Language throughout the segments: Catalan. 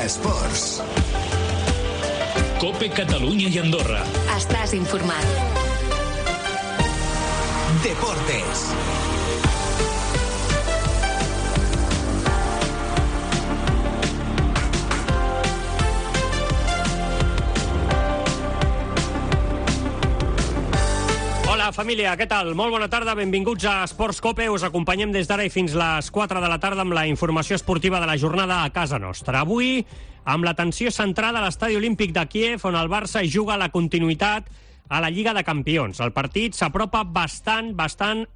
Esports. COPE Catalunya i Andorra. Estàs informat. Deportes. Hola, família, què tal? Molt bona tarda, benvinguts a Esports COPE. Us acompanyem des d'ara i fins les 4 de la tarda amb la informació esportiva de la jornada a casa nostra. Avui, amb l'atenció centrada a l'Estadi Olímpic de Kíev, on el Barça juga la continuïtat a la Lliga de Campions. El partit s'apropa bastant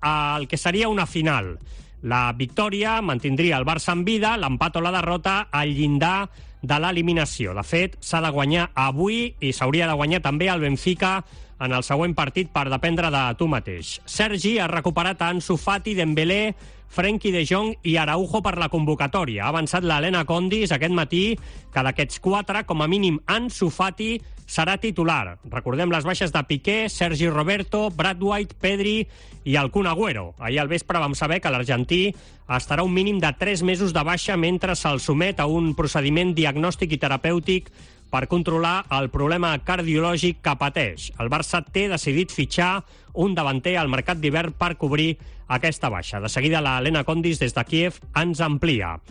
al que seria una final. La victòria mantindria el Barça en vida, l'empat o la derrota al llindar de l'eliminació. De fet, s'ha de guanyar avui i s'hauria de guanyar també el Benfica en el següent partit per dependre de tu mateix. Sergi ha recuperat a Ansu Fati, Dembélé, Frenkie de Jong i Araujo per la convocatòria. Ha avançat l'Helena Condis aquest matí que d'aquests 4, com a mínim Ansu Fati serà titular. Recordem les baixes de Piqué, Sergi Roberto, Brad White, Pedri i el Kun Agüero. Ahir al vespre vam saber que l'argentí estarà un mínim de 3 mesos de baixa mentre se'l somet a un procediment diagnòstic i terapèutic per controlar el problema cardiològic que pateix. El Barça té decidit fitxar un davanter al mercat d'hivern per cobrir aquesta baixa. De seguida, l'Helena Condis, des de Kíev, ens amplia.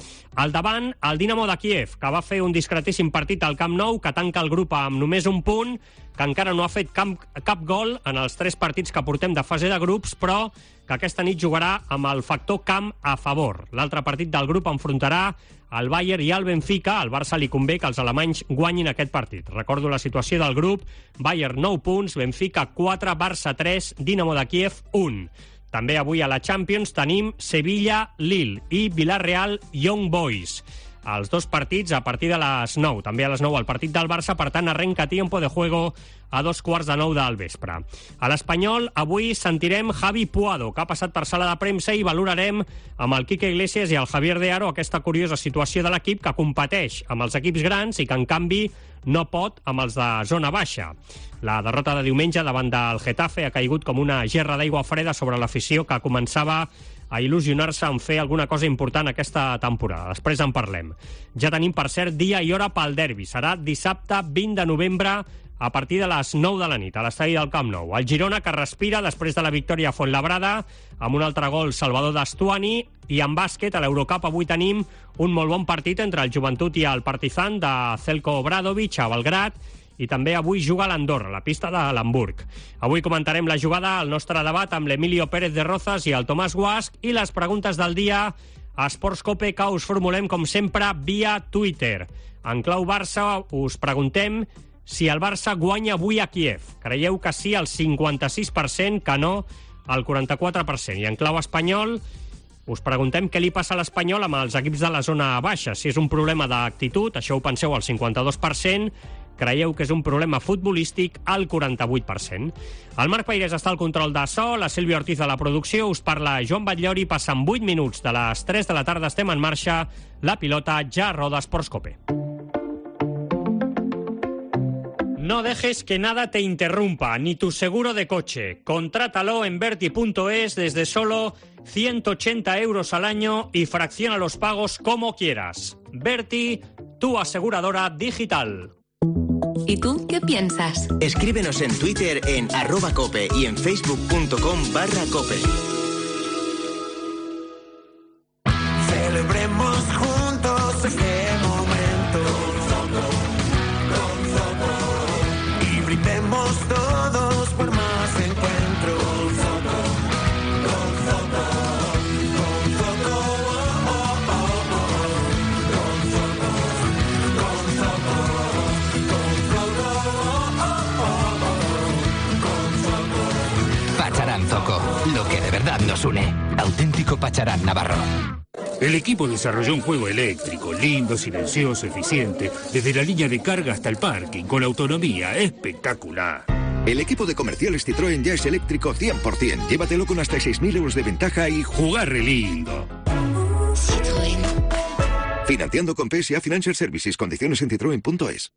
Al davant, el Dinamo de Kíev, que va fer un discretíssim partit al Camp Nou, que tanca el grup amb només un punt, que encara no ha fet cap gol en els 3 partits que portem de fase de grups, però que aquesta nit jugarà amb el factor camp a favor. L'altre partit del grup enfrontarà el Bayern i el Benfica. Al Barça li convé que els alemanys guanyin aquest partit. Recordo la situació del grup: Bayern 9 punts, Benfica 4, Barça 3, Dinamo de Kíev 1. També avui a la Champions tenim Sevilla-Lille i Villarreal-Young Boys. Els 2 partits a partir de les 9. També a les 9 el partit del Barça, per tant arrenca tiempo de juego a 2:15 del vespre. A l'Espanyol avui sentirem Javi Puado, que ha passat per sala de premsa, i valorarem amb el Quique Iglesias i el Javier de Aro aquesta curiosa situació de l'equip que competeix amb els equips grans i que en canvi no pot amb els de zona baixa. La derrota de diumenge davant del Getafe ha caigut com una gerra d'aigua freda sobre l'afició que començava a il·lusionar-se en fer alguna cosa important aquesta temporada. Després en parlem. Ja tenim, per cert, dia i hora pel derbi. Serà dissabte 20 de novembre a partir de les 9 de la nit a l'estadi del Camp Nou. El Girona, que respira després de la victòria a Fuenlabrada amb un altre gol Salvador Dastuani. I en bàsquet, a l'Eurocup, avui tenim un molt bon partit entre el Joventut i el Partizan de Zeljko Obradovic a Belgrad. I també avui juga a l'Andorra, a la pista de l'Hamburg. Avui comentarem la jugada, el nostre debat amb l'Emilio Pérez de Rozas i el Tomàs Guasch i les preguntes del dia a Esports COPE, que us formulem, com sempre, via Twitter. En clau Barça us preguntem si el Barça guanya avui a Kíev. Creieu que sí, el 56%, que no, el 44%. I en clau espanyol us preguntem què li passa a l'Espanyol amb els equips de la zona baixa. Si és un problema d'actitud, això ho penseu al 52%, creieu que és un problema futbolístic al 48%. El Marc Peirés està al control de so, la Sílvia Ortiz a la producció, us parla Joan Batllori. Passen 8 minuts de les 3 de la tarda, estem en marxa, la pilota ja roda Esports COPE. No dejes que nada te interrumpa, ni tu seguro de coche. Contrátalo en Verti.es desde solo 180 euros al año y fracciona los pagos como quieras. Verti, tu aseguradora digital. ¿Y tú qué piensas? Escríbenos en Twitter en @cope y en facebook.com/cope. Celebremos juntos este momento y brindemos todos por más encuentros. Pacharán Zoco, lo que de verdad nos une. Auténtico Pacharán Navarro. El equipo desarrolló un juego eléctrico, lindo, silencioso, eficiente, desde la línea de carga hasta el parking, con autonomía espectacular. El equipo de comerciales Citroën ya es eléctrico 100%. Llévatelo con hasta 6.000 euros de ventaja y jugar re lindo. Citroën. Financiando con PSA Financial Services. Condiciones en citroen.es.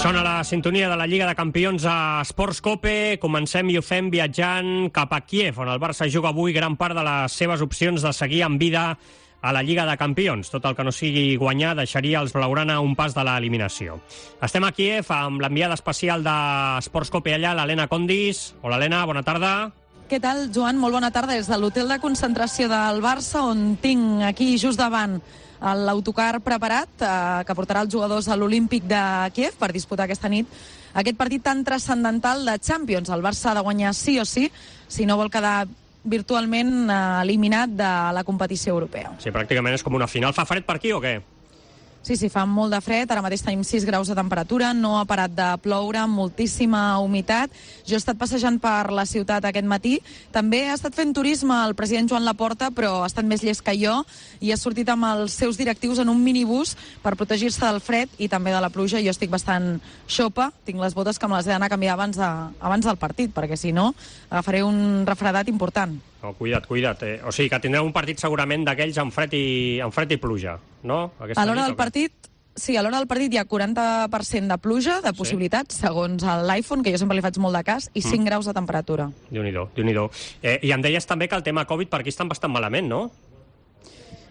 Sona la sintonia de la Lliga de Campions a Esports Cope. Comencem i ho fem viatjant cap a Kíev, on el Barça juga avui gran part de les seves opcions de seguir en vida a la Lliga de Campions. Tot el que no sigui guanyar deixaria els blaugrana un pas de l'eliminació. Estem a Kíev amb l'enviada especial d'Esports Cope allà, l'Helena Condis. Hola, Helena, bona tarda. Què tal, Joan? Molt bona tarda. Des de l'hotel de concentració del Barça, on tinc aquí just davant l'autocar preparat que portarà els jugadors a l'Olímpic de Kíev per disputar aquesta nit aquest partit tan transcendental de Champions. El Barça ha de guanyar sí o sí, si no vol quedar virtualment eliminat de la competició europea. Sí, pràcticament és com una final. Fa fred per aquí o què? Sí, fa molt de fred, ara mateix tenim 6 graus de temperatura, no ha parat de ploure, moltíssima humitat. Jo he estat passejant per la ciutat aquest matí, també ha estat fent turisme el president Joan Laporta, però ha estat més llest que jo, i ha sortit amb els seus directius en un minibús per protegir-se del fred i també de la pluja. Jo estic bastant xopa, tinc les botes que me les he d'anar a canviar abans del partit, perquè si no agafaré un refredat important. No, cuida't. O sigui que tindreu un partit segurament d'aquells amb fred i pluja, no? A l'hora del partit, sí, a l'hora del partit hi ha 40% de pluja, de possibilitats, segons l'iPhone, que jo sempre li faig molt de cas, i 5 graus de temperatura. Déu-n'hi-do. I em deies també que el tema Covid per aquí estan bastant malament, no?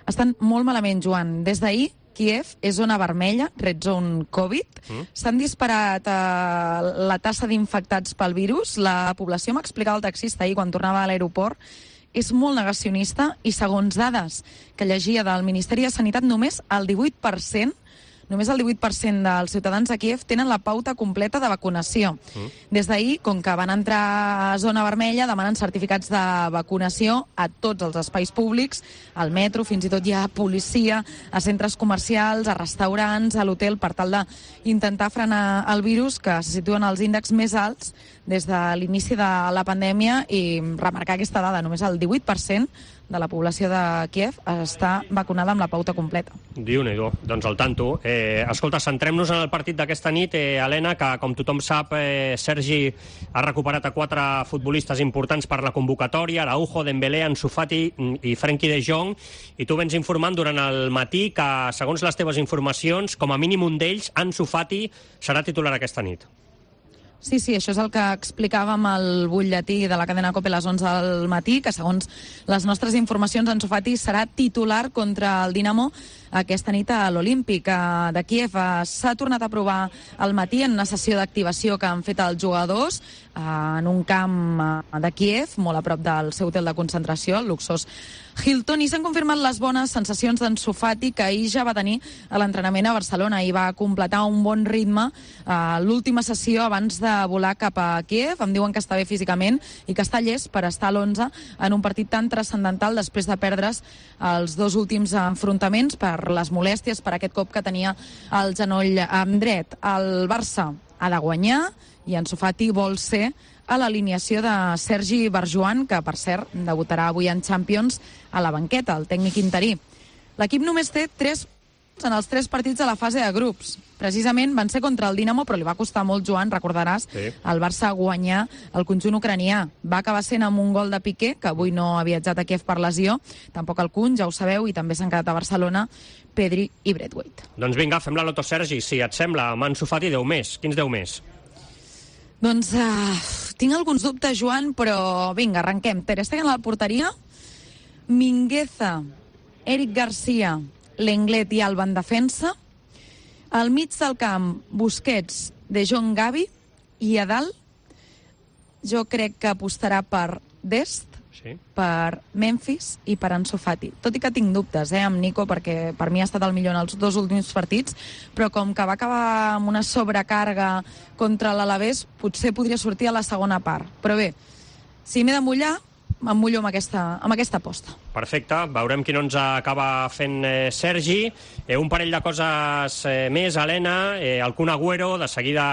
Estan molt malament, Joan. Des d'ahir, Kíev és zona vermella, red zone Covid. S'han disparat la tassa d'infectats pel virus. La població, m'explicava el taxista ahir quan tornava a l'aeroport, és molt negacionista i, segons dades que llegia del Ministeri de Sanitat, només el 18% dels ciutadans de Kíev tenen la pauta completa de vacunació. Des d'ahir, com que van entrar a zona vermella, demanen certificats de vacunació a tots els espais públics, al metro, fins i tot hi ha policia, a centres comercials, a restaurants, a l'hotel, per tal d'intentar frenar el virus, que se situen als índexs més alts des de l'inici de la pandèmia, i remarcar aquesta dada, només el 18% de la població de Kíev està vacunada amb la pauta completa. Déu-n'hi-do, doncs al tanto. Escolta, centrem-nos en el partit d'aquesta nit, Helena, que com tothom sap, Sergi ha recuperat a 4 futbolistes importants per la convocatòria, Araujo, Dembélé, Ansu Fati i Frenkie de Jong, i tu vens informant durant el matí que, segons les teves informacions, com a mínim un d'ells, Ansu Fati, serà titular aquesta nit. Sí, això és el que explicàvem al butlletí de la cadena COPE a les 11 del matí, que segons les nostres informacions, Ansu Fati serà titular contra el Dinamo aquesta nit a l'Olímpic de Kíev. S'ha tornat a provar al matí en una sessió d'activació que han fet els jugadors en un camp de Kíev, molt a prop del seu hotel de concentració, el luxós Hilton, i s'han confirmat les bones sensacions d'Ansu Fati, que ahir ja va tenir a l'entrenament a Barcelona i va completar un bon ritme l'última sessió abans de volar cap a Kíev. Em diuen que està bé físicament i que està llest per estar a l'11 en un partit tan transcendental després de perdre's els 2 últims enfrontaments per les molèsties, per aquest cop que tenia el genoll dret. El Barça ha de guanyar i Ansu Fati vol ser a l'alineació de Sergi Barjuan, que, per cert, debutarà avui en Champions a la banqueta, el tècnic interí. L'equip només té 3 en els 3 partits de la fase de grups. Precisament van ser contra el Dinamo, però li va costar molt, Joan, recordaràs, al Barça guanyar el conjunt ucranià. Va acabar sent amb un gol de Piqué, que avui no ha viatjat a Kíev per lesió, tampoc el Kun, ja ho sabeu, i també s'han quedat a Barcelona Pedri i Braithwaite. Doncs vinga, fem la loto, Sergi, si et sembla, amb Ansu Fati 10 més. Quins 10 més? Doncs tinc alguns dubtes, Joan, però vinga, arrenquem. Ter Stegen a la porteria, Mingueza, Eric Garcia, Lenglet i Alba en defensa, al mig del camp, Busquets, De Jong, Gavi, i a dalt jo crec que apostarà per Dest, per Memphis i per Ansu Fati. Tot i que tinc dubtes amb Nico, perquè per mi ha estat el millor en els 2 últims partits, però com que va acabar amb una sobrecàrrega contra l'Alavés, potser podria sortir a la segona part. Però bé, si m'he de mullar, em mullo amb aquesta aposta. Perfecte, veurem qui no ens acaba fent Sergi. Un parell de coses més, Helena. El Kun Agüero, de seguida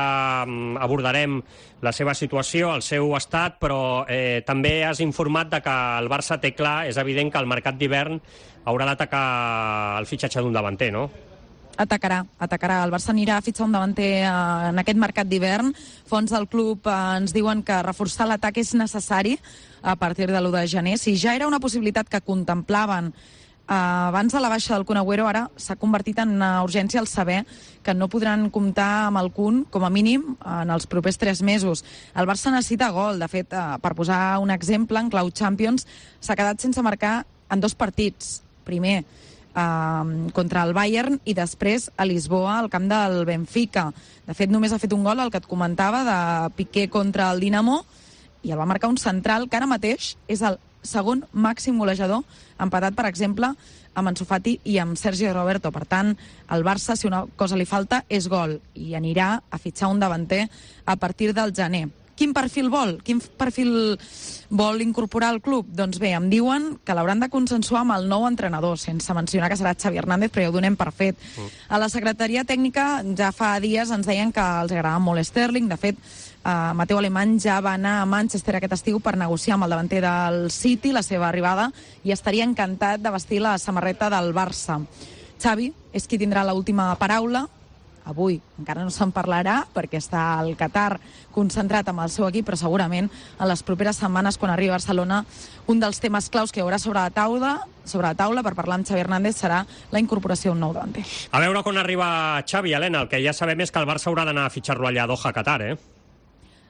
abordarem la seva situació, el seu estat, però també has informat de que el Barça té clar, és evident que el mercat d'hivern haurà d'atacar el fitxatge d'un davanter, no? Atacarà. El Barça anirà a fitxar un davanter en aquest mercat d'hivern. Fons del club ens diuen que reforçar l'atac és necessari a partir de l'1 de gener. Si ja era una possibilitat que contemplaven abans de la baixa del Kun Agüero, ara s'ha convertit en una urgència el saber que no podran comptar amb el Kun, com a mínim, en els propers 3 mesos. El Barça necessita gol. De fet, per posar un exemple, en clau Champions s'ha quedat sense marcar en 2 partits. Primer, contra el Bayern, i després a Lisboa, al camp del Benfica. De fet, només ha fet un gol, el que et comentava, de Piqué contra el Dinamo, i el va marcar un central que ara mateix és el segon màxim golejador, empatat, per exemple, amb Ansu Fati i amb Sergio Roberto. Per tant, al Barça, si una cosa li falta, és gol, i anirà a fitxar un davanter a partir del gener. Quin perfil vol? Quin perfil vol incorporar al club? Doncs bé, em diuen que l'hauran de consensuar amb el nou entrenador, sense mencionar que serà Xavi Hernández, però ja ho donem per fet. A la secretaria tècnica ja fa dies ens deien que els agradava molt Sterling. De fet, Mateu Alemany ja va anar a Manchester aquest estiu per negociar amb el davanter del City la seva arribada i estaria encantat de vestir la samarreta del Barça. Xavi és qui tindrà l'última paraula. Avui encara no se'n parlarà perquè està al Qatar concentrat amb el seu equip, però segurament en les properes setmanes, quan arribi a Barcelona, un dels temes claus que hi haurà sobre la taula per parlar amb Xavi Hernández serà la incorporació d'un nou davanter. A veure quan arriba Xavi, Helena. El que ja sabem és que el Barça haurà d'anar a fitxar-lo allà a Doha, Qatar,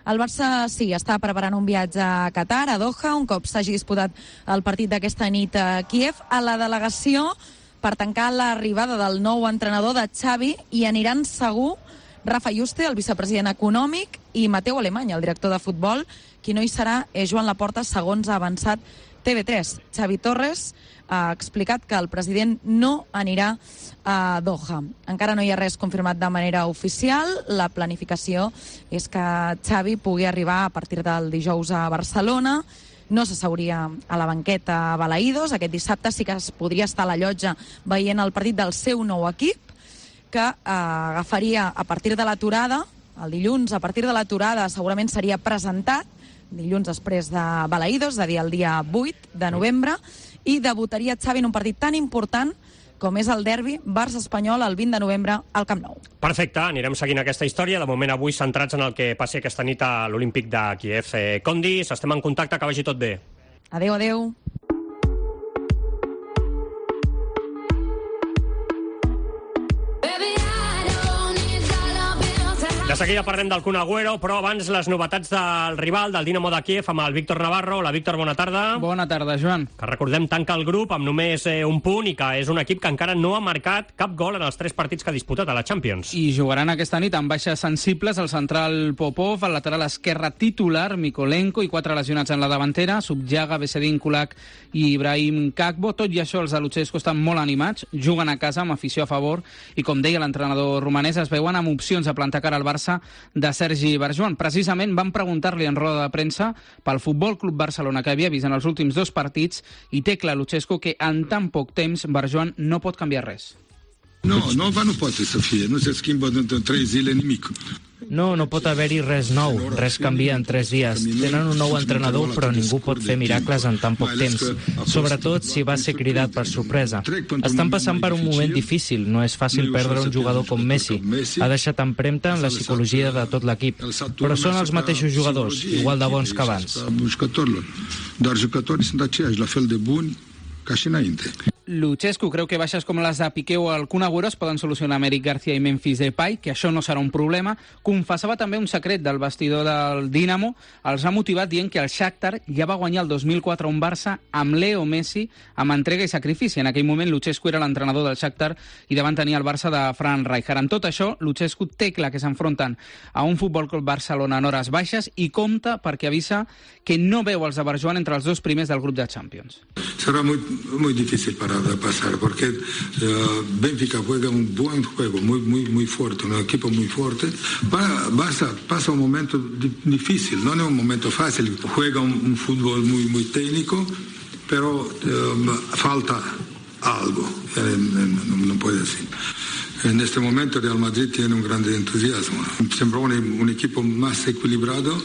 El Barça, sí, està preparant un viatge a Qatar, a Doha, un cop s'hagi disputat el partit d'aquesta nit a Kíev. A la delegació, per tancar l'arribada del nou entrenador de Xavi, hi aniran segur Rafa Yuste, el vicepresident econòmic, i Mateu Alemany, el director de futbol. Qui no hi serà és Joan Laporta, segons ha avançat TV3. Xavi Torres ha explicat que el president no anirà a Doha. Encara no hi ha res confirmat de manera oficial. La planificació és que Xavi pugui arribar a partir del dijous a Barcelona. No s'asseuria a la banqueta a Balaïdos. Aquest dissabte sí que es podria estar a la llotja veient el partit del seu nou equip, que agafaria a partir de l'aturada, el dilluns, a partir de l'aturada segurament seria presentat, dilluns després de Balaïdos, és a dir, el dia 8 de novembre, i debutaria Xavi en un partit tan important com és el derbi Barça-Espanyol el 20 de novembre al Camp Nou. Perfecte, anirem seguint aquesta història. De moment, avui centrats en el que passi aquesta nit a l'Olímpic de Kíev. Condis, estem en contacte, que vagi tot bé. Adéu, adéu. De seguida parlem del Kun Agüero, però abans les novetats del rival, del Dinamo de Kíev, amb el Víctor Navarro. Hola, Víctor, bona tarda. Bona tarda, Joan. Que recordem, tanca el grup amb només un punt i que és un equip que encara no ha marcat cap gol en els 3 partits que ha disputat a la Champions. I jugaran aquesta nit amb baixes sensibles el central Popov, el lateral esquerre titular Mikolenko i 4 lesionats en la davantera, Subjaga, Vesedin, Kulak i Ibrahim Kakbo. Tot i això, els de Lucescu estan molt animats, juguen a casa amb afició a favor i, com deia l'entrenador romanès, es veuen amb opcions a plantar cara al Barça de Sergi Barjuan. Precisament van preguntar-li en roda de premsa pel Futbol Club Barcelona que havia vist en els últims 2 partits i té clar Lucescu que en tan poc temps Barjuan no pot canviar res. No pot ser fi, no se schimba en 3 zile nimic. No pot haver-hi res nou, res canvia en 3 dies. Tenen un nou entrenador, però ningú pot fer miracles en tan poc temps, sobretot si va ser cridat per sorpresa. Estan passant per un moment difícil, no és fàcil perdre un jugador com Messi. Ha deixat empremta en la psicologia de tot l'equip, però són els mateixos jugadors, igual de bons que abans. Dar jucătorii sunt aceiași, la fel de buni ca și înainte. Lucescu creu que baixes com les de Piqué o el Kun Agüero es poden solucionar amb Eric García i Memphis Depay, que això no serà un problema. Confessava també un secret del vestidor del Dinamo. Els ha motivat dient que el Shakhtar ja va guanyar el 2004 un Barça amb Leo Messi, amb entrega i sacrifici. En aquell moment Lucescu era l'entrenador del Shakhtar i davant tenia el Barça de Frank Rijkaard. En tot això, Lucescu té clar que s'enfronten a un Futbol Club Barcelona en hores baixes i compta perquè avisa que no veu els de Barjuan entre els 2 primers del grup de Champions. Será muy difícil para pasar, porque Benfica juega un buen juego, muy fuerte, un equipo muy fuerte. Barça pasa un momento difícil, no es un momento fácil, juega un fútbol muy técnico, pero falta algo, no puede decir. En este momento Real Madrid tiene un gran entusiasmo, sembra un equipo más equilibrado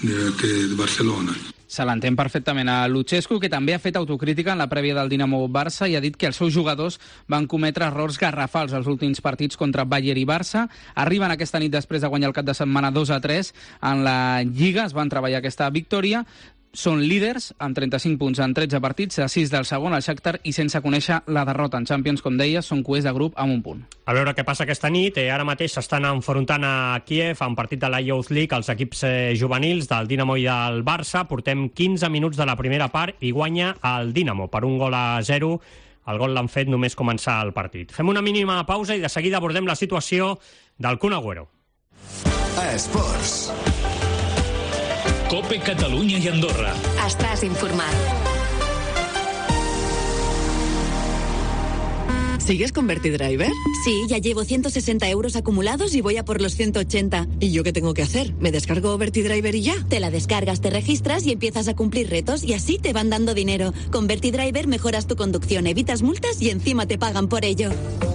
que Barcelona. Se l'entén perfectament a Lucescu, que també ha fet autocrítica en la prèvia del Dinamo-Barça i ha dit que els seus jugadors van cometre errors garrafals als últims partits contra Bayern i Barça. Arriben aquesta nit després de guanyar el cap de setmana 2-3 en la Lliga, es van treballar aquesta victòria. són líders, amb 35 punts en 13 partits, a 6 del segon, el Shakhtar, i sense conèixer la derrota en Champions, com deia, són cuers de grup amb un punt. A veure què passa aquesta nit. Ara mateix s'estan enfrontant a Kíev, a un partit de la Youth League, els equips juvenils del Dinamo i del Barça. Portem 15 minuts de la primera part i guanya el Dinamo per 1-0. El gol l'han fet només començar el partit. Fem una mínima pausa i de seguida abordem la situació del Kun Agüero. Esports. COPE Catalunya i Andorra. Estàs informat. ¿Sigues con VertiDriver? Sí, ya llevo 160 euros acumulados y voy a por los 180. ¿Y yo qué tengo que hacer? ¿Me descargo VertiDriver y ya? Te la descargas, te registras y empiezas a cumplir retos y así te van dando dinero. Con VertiDriver mejoras tu conducción, evitas multas y encima te pagan por ello.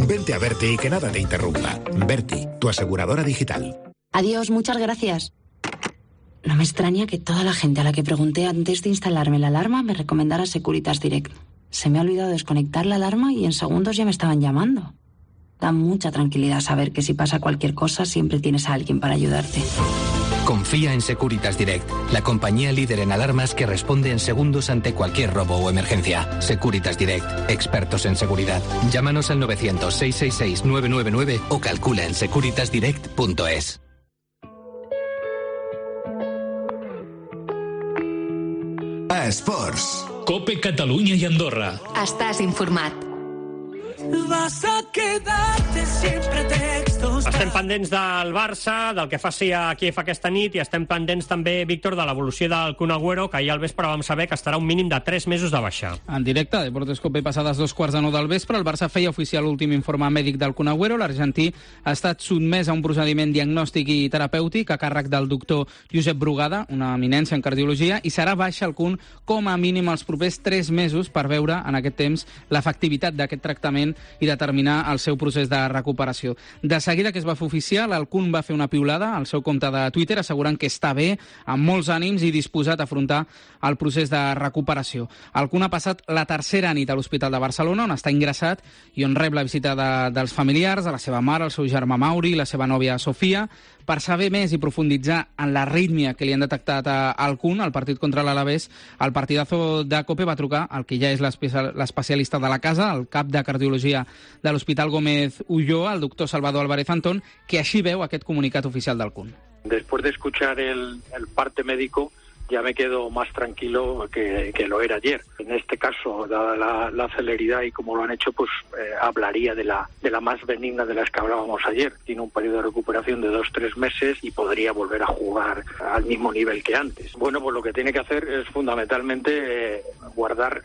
Vente a Verti y que nada te interrumpa. Verti, tu aseguradora digital. Adiós, muchas gracias. No me extraña que toda la gente a la que pregunté antes de instalarme la alarma me recomendara Securitas Direct. Se me ha olvidado desconectar la alarma y en segundos ya me estaban llamando. Da mucha tranquilidad saber que si pasa cualquier cosa siempre tienes a alguien para ayudarte. Confía en Securitas Direct, la compañía líder en alarmas que responde en segundos ante cualquier robo o emergencia. Securitas Direct, expertos en seguridad. Llámanos al 900-666-999 o calcula en securitasdirect.es. Esports. COPE Catalunya i Andorra. Estàs informat. Vas a quedarte siempre textos. Estem pendents del Barça, del que faci a Kíev aquesta nit, i estem pendents també, Víctor, de l'evolució del Kun Agüero, que ahir al vespre vam saber que estarà un mínim de 3 mesos de baixa. En directe, Deportes COPE, passades 2:15 del vespre, el Barça feia oficial l'últim informe mèdic del Kun Agüero. L'argentí ha estat sotmès a un procediment diagnòstic i terapèutic a càrrec del doctor Josep Brugada, una eminència en cardiologia, i serà baixa el Kun com a mínim els propers 3 mesos per veure en aquest temps l'efectivitat d'aquest tractament i determinar el seu procés de recuperació. De seguida que es va fer oficial, el Kun va fer una piulada al seu compte de Twitter assegurant que està bé, amb molts ànims i disposat a afrontar el procés de recuperació. El Kun ha passat la tercera nit a l'Hospital de Barcelona, on està ingressat i on rep la visita dels familiars, de la seva mare, el seu germà Mauri i la seva nòvia Sofia. Per saber més i profunditzar en l'arrítmia que li han detectat al Kun al partit contra l'Alavés, el partidazo de COPE va trucar al que ja és l'especialista de la casa, el cap de cardiologia de l'Hospital Gómez Ulloa, el doctor Salvador Álvarez Antón, que així veu aquest comunicat oficial del Kun. Después de escuchar el parte médico, ya me quedo más tranquilo que lo era ayer. En este caso, dada la celeridad y como lo han hecho, pues hablaría de la más benigna de las que hablábamos ayer. Tiene un periodo de recuperación de 2-3 meses y podría volver a jugar al mismo nivel que antes. Bueno, pues lo que tiene que hacer es fundamentalmente guardar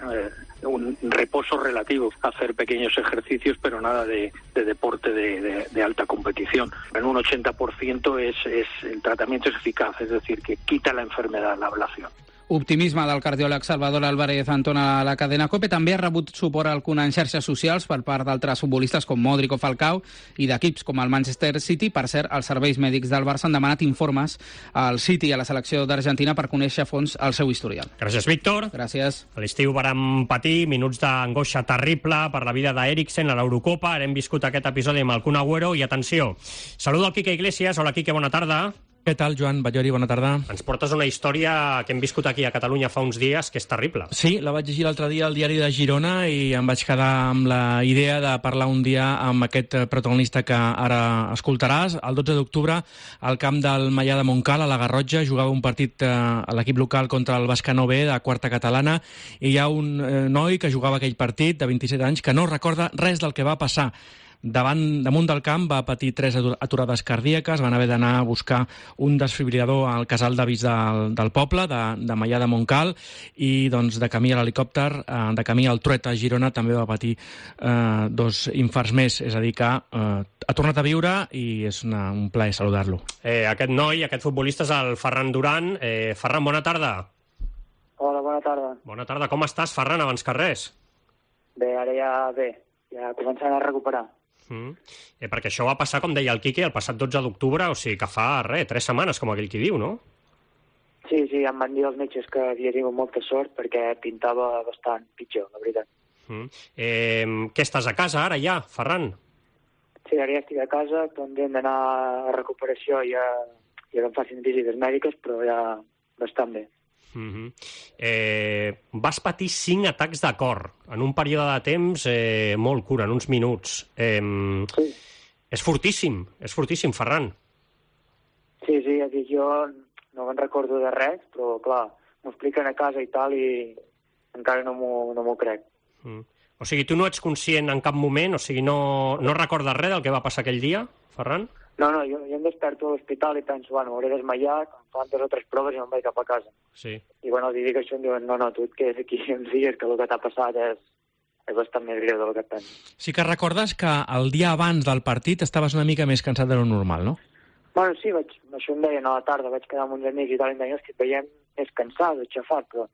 un reposo relativo, hacer pequeños ejercicios, pero nada de deporte de alta competición. En un 80% el tratamiento es eficaz, es decir, que quita la enfermedad, la ablación. Optimisme del cardiòleg Salvador Álvarez Antón a la cadena COPE. També ha rebut suport al Kun en xarxes socials per part d'altres futbolistes com Modric o Falcao i d'equips com el Manchester City. Per cert, els serveis mèdics del Barça han demanat informes al City i a la selecció d'Argentina per conèixer a fons el seu historial. Gràcies, Víctor. Gràcies. A l'estiu vàrem patir minuts d'angoixa terrible per la vida d'Eriksen a l'Eurocopa. Ara hem viscut aquest episodi amb el Kun Agüero i, atenció, saludo al Quique Iglesias. Hola, Quique, bona tarda. Què tal, Joan Batllori? Bona tarda. Ens portes una història que hem viscut aquí a Catalunya fa uns dies que és terrible. Sí, la vaig llegir l'altre dia al diari de Girona i em vaig quedar amb la idea de parlar un dia amb aquest protagonista que ara escoltaràs. El 12 d'octubre, al camp del Maià de Montcal, a la Garrotxa, jugava un partit a l'equip local contra el Bescanó B de quarta catalana i hi ha un noi que jugava aquell partit de 27 anys que no recorda res del que va passar. Damunt del camp va patir 3 aturades cardíaques, van haver d'anar a buscar un desfibrilador al casal d'avis del poble, de Maià de Montcal, i doncs, de camí a l'helicòpter, de camí al Trueta a Girona, també va patir 2 infarts més, és a dir que ha tornat a viure i és un plaer saludar-lo. Aquest noi, aquest futbolista és el Ferran Duran. Ferran, bona tarda. Hola, bona tarda. Bona tarda, com estàs, Ferran, abans que res? Bé, ara ja començant a recuperar. Perquè això va passar, com deia el Quique, el passat 12 d'octubre, o sigui que fa 3 setmanes, com aquell qui diu, no? Sí, em van dir els metges que havia tingut molta sort perquè pintava bastant pitjor, la veritat. Què estàs a casa ara ja, Ferran? Sí, ara ja estic a casa, pendent d'anar a recuperació i que em facin visites mèdiques, però ja bastant bé. Vas patir 5 atacs de cor en un període de temps molt curt, en uns minuts. És fortíssim, Ferran. Sí, jo no me'n recordo de res, però clar, m'ho expliquen a casa i tal i encara no m'ho crec. O sigui, tu no ets conscient en cap moment, o sigui, no recordes res del que va passar aquell dia, Ferran? No, jo em desperto a l'hospital i penso, m'hauré desmaiat, em fan 2 o 3 proves i me'n vaig cap a casa. Sí. I els dic això i em diuen, no, tu et quedes aquí uns dies, que el que t'ha passat és bastant més greu del que et penso. Sí que recordes que el dia abans del partit estaves una mica més cansat de lo normal, no? Bueno, sí, això em deien a la tarda, vaig quedar amb uns amics i tal, i em deien, que et veiem més cansat, aixafat, però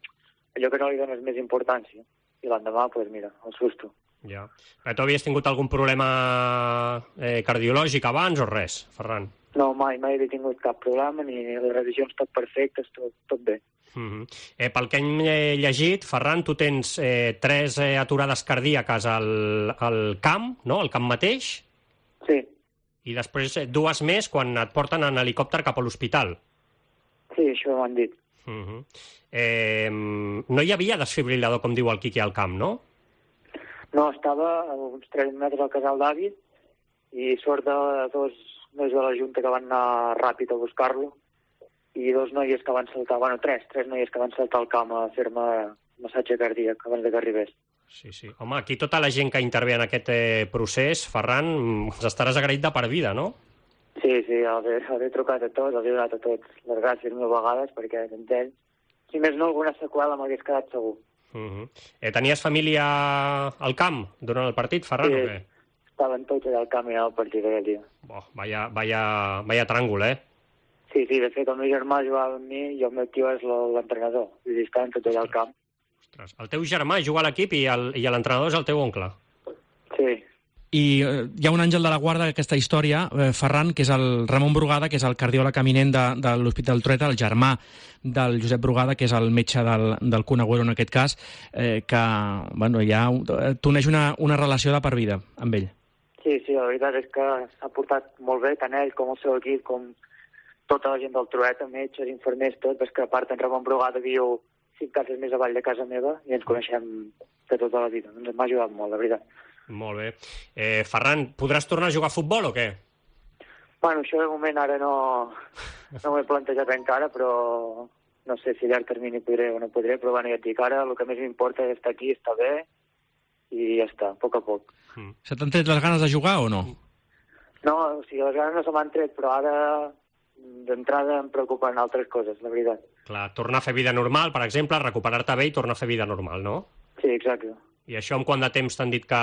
allò que no li dones més importància. I l'endemà, doncs mira, el susto. Ja. Tu havies tingut algun problema cardiològic abans o res, Ferran? No, mai havia tingut cap problema, ni les revisions tot perfectes, tot bé. Pel que hem llegit, Ferran, tu tens 3 aturades cardíaques al camp, no?, al camp mateix? Sí. I després 2 més quan et porten en helicòpter cap a l'hospital. Sí, això m'han dit. No hi havia desfibrilador, com diu el Quique, al camp, no? No, estava a uns 3 metres al casal d'avis i sort de 2 nois de la Junta que van anar ràpid a buscar-lo i 2 noies que van saltar, 3 noies que van saltar al camp a fer-me massatge cardíac abans que arribés. Sí. Home, aquí tota la gent que intervé en aquest procés, Ferran, ens estaràs agraït de per vida, no? Sí, he trucat a tots, els he donat a tots les gràcies 1000 vegades perquè sense ells, si més no, alguna seqüela m'hagués quedat segur. Tenies família al camp durant el partit, Ferran, o què? Estaven tots allà al camp i al partit aquell dia. Vaya tràngol, Sí, de fet, el meu germà jugava amb mi i el meu tio és l'entrenador. I estaven tots allà al camp. Ostres, el teu germà juga a l'equip i l'entrenador és el teu oncle. Sí. I hi ha un àngel de la guarda d'aquesta història, Ferran, que és el Ramon Brugada, que és el cardiòleg eminent de l'Hospital Trueta, el germà del Josep Brugada, que és el metge del Kun Agüero en aquest cas, que t'uneix una relació de per vida amb ell. Sí, la veritat és que s'ha portat molt bé, tant ell com el seu equip, com tota la gent del Trueta, metges, infermers, tot, perquè a part en Ramon Brugada viu 5 cases més avall de casa meva i ens coneixem de tota la vida. Ens m'ha ajudat molt, la veritat. Molt bé. Ferran, podràs tornar a jugar a futbol o què? Bueno, això de moment ara no m'ho he plantejat encara, però no sé si a llarg termini podré o no podré, però ja et dic, ara el que més m'importa és estar aquí, estar bé i ja està, a poc a poc. Se t'han tret les ganes de jugar o no? No, o sigui, les ganes no se m'han tret, però ara d'entrada em preocupen altres coses, la veritat. Clar, tornar a fer vida normal, per exemple, recuperar-te bé i tornar a fer vida normal, no? Sí, exacte. I això en quant de temps t'han dit que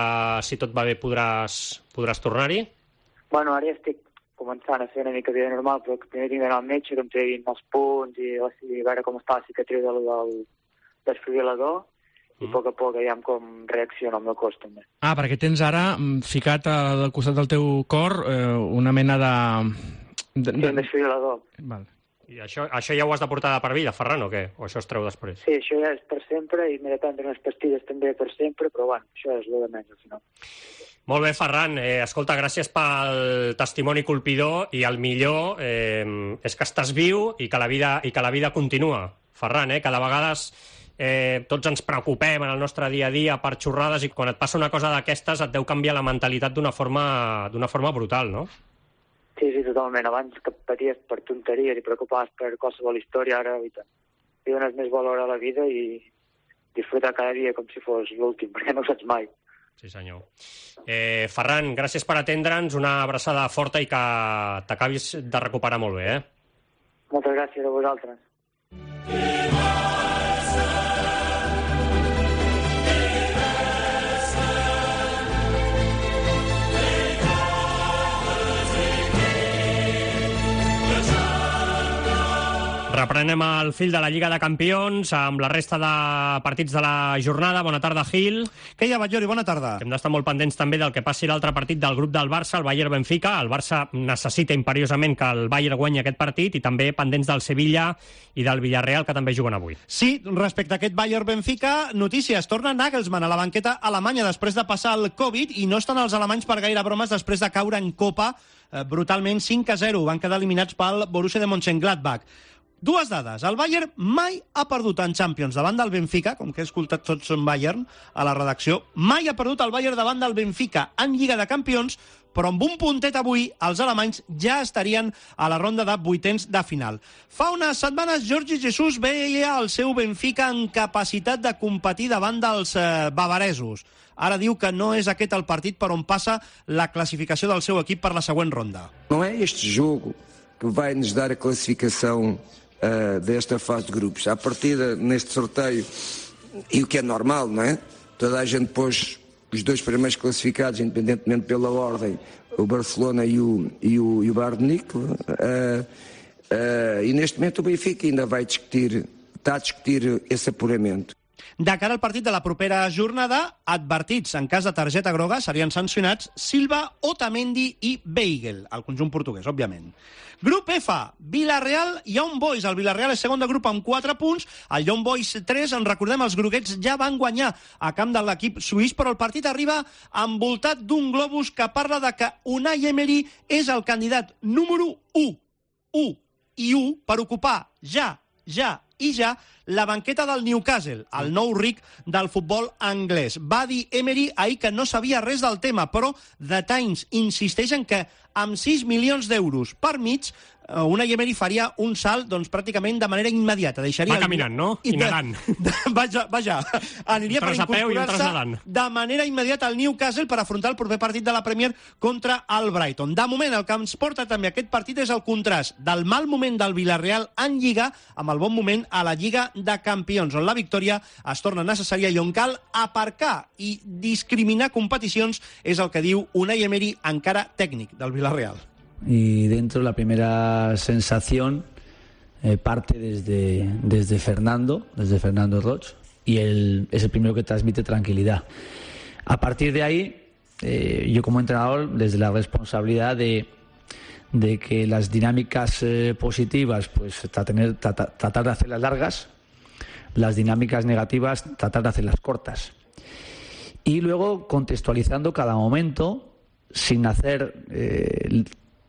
si tot va bé podràs tornar-hi? Bueno, ara ja estic començant a fer una mica vida normal, però primer tinc d'anar al metge, que em treguin els punts i veure com està la cicatriu del desfibrilador i a poc veiem com reacciona el meu cos també. Perquè tens ara ficat al costat del teu cor una mena de... Sí, un desfibrilador. Val. I això ja ho has de portar de per vida, Ferran, o què? O això es treu després? Sí, això ja és per sempre i m'he de prendre unes pastilles també per sempre, però bueno, això és el de menys al final. Molt bé, Ferran. Escolta, gràcies pel testimoni colpidor i el millor és que estàs viu i que la vida continua. Ferran, que de vegades tots ens preocupem en el nostre dia a dia per xorrades i quan et passa una cosa d'aquestes et deu canviar la mentalitat d'una forma brutal, no? Sí, totalment. Abans que paties per tonteries i preocupaves per qualsevol història, ara li dones més valor a la vida i disfrutar cada dia com si fos l'últim, perquè no ho saps mai. Sí, senyor. Ferran, gràcies per atendre'ns, una abraçada forta i que t'acabis de recuperar molt bé, Moltes gràcies a vosaltres. Reprenem el fil de la Lliga de Campions amb la resta de partits de la jornada. Bona tarda, Gil. Què hi ha, Batllori? Bona tarda. Hem d'estar molt pendents també del que passi l'altre partit del grup del Barça, el Bayern-Benfica. El Barça necessita imperiosament que el Bayern guanyi aquest partit i també pendents del Sevilla i del Villarreal, que també juguen avui. Sí, respecte a aquest Bayern-Benfica, notícies. Torna Nagelsmann a la banqueta alemanya després de passar el Covid i no estan els alemanys per gaire bromes després de caure en Copa brutalment 5-0. Van quedar eliminats pel Borussia de Mönchengladbach. Dues dades. El Bayern mai ha perdut en Champions davant del Benfica, com que he escoltat tots en Bayern a la redacció, mai ha perdut el Bayern davant del Benfica en Lliga de Campions, però amb un puntet avui els alemanys ja estarien a la ronda de vuitens de final. Fa unes setmanes Jordi Jesus veia el seu Benfica en capacitat de competir davant dels bavaresos. Ara diu que no és aquest el partit per on passa la classificació del seu equip per la següent ronda. Não é este jogo que vai nos dar a classificação desta fase de grupos. À partida, neste sorteio, e o que é normal, não é? Toda a gente pôs os dois primeiros classificados, independentemente pela ordem, o Barcelona e o Bayern de Munique. E neste momento o Benfica ainda está a discutir esse apuramento. De cara al partit de la propera jornada, advertits en cas de targeta groga serien sancionats Silva, Otamendi i Weigl, el conjunt portuguès, òbviament. Grup F, Villarreal i Young Boys. El Villarreal és segon de grup amb 4 punts, el Young Boys 3, en recordem, els groguets ja van guanyar a camp de l'equip suís, però el partit arriba envoltat d'un globus que parla de que Unai Emery és el candidat número 1 per ocupar ja la banqueta del Newcastle, el nou ric del futbol anglès. Va dir Emery ahir que no sabia res del tema, però The Times insisteix en que amb 6 milions d'euros per mig, Unai Emery faria un salt pràcticament de manera immediata. Va caminant, no? I nedant. Vaja, aniria per incorporar-se de manera immediata al Newcastle per afrontar el proper partit de la Premier contra el Brighton. De moment, el que ens porta també aquest partit és el contrast del mal moment del Villarreal en Lliga amb el bon moment a la Lliga de Campions, on la victòria es torna necessària i on cal aparcar i discriminar competicions, és el que diu Unai Emery, encara tècnic del Villarreal. Y dentro la primera sensación parte desde Fernando Roig, y es el primero que transmite tranquilidad. A partir de ahí, yo como entrenador, desde la responsabilidad de que las dinámicas positivas, pues tratar de hacerlas largas, las dinámicas negativas, tratar de hacerlas cortas. Y luego contextualizando cada momento, sin hacer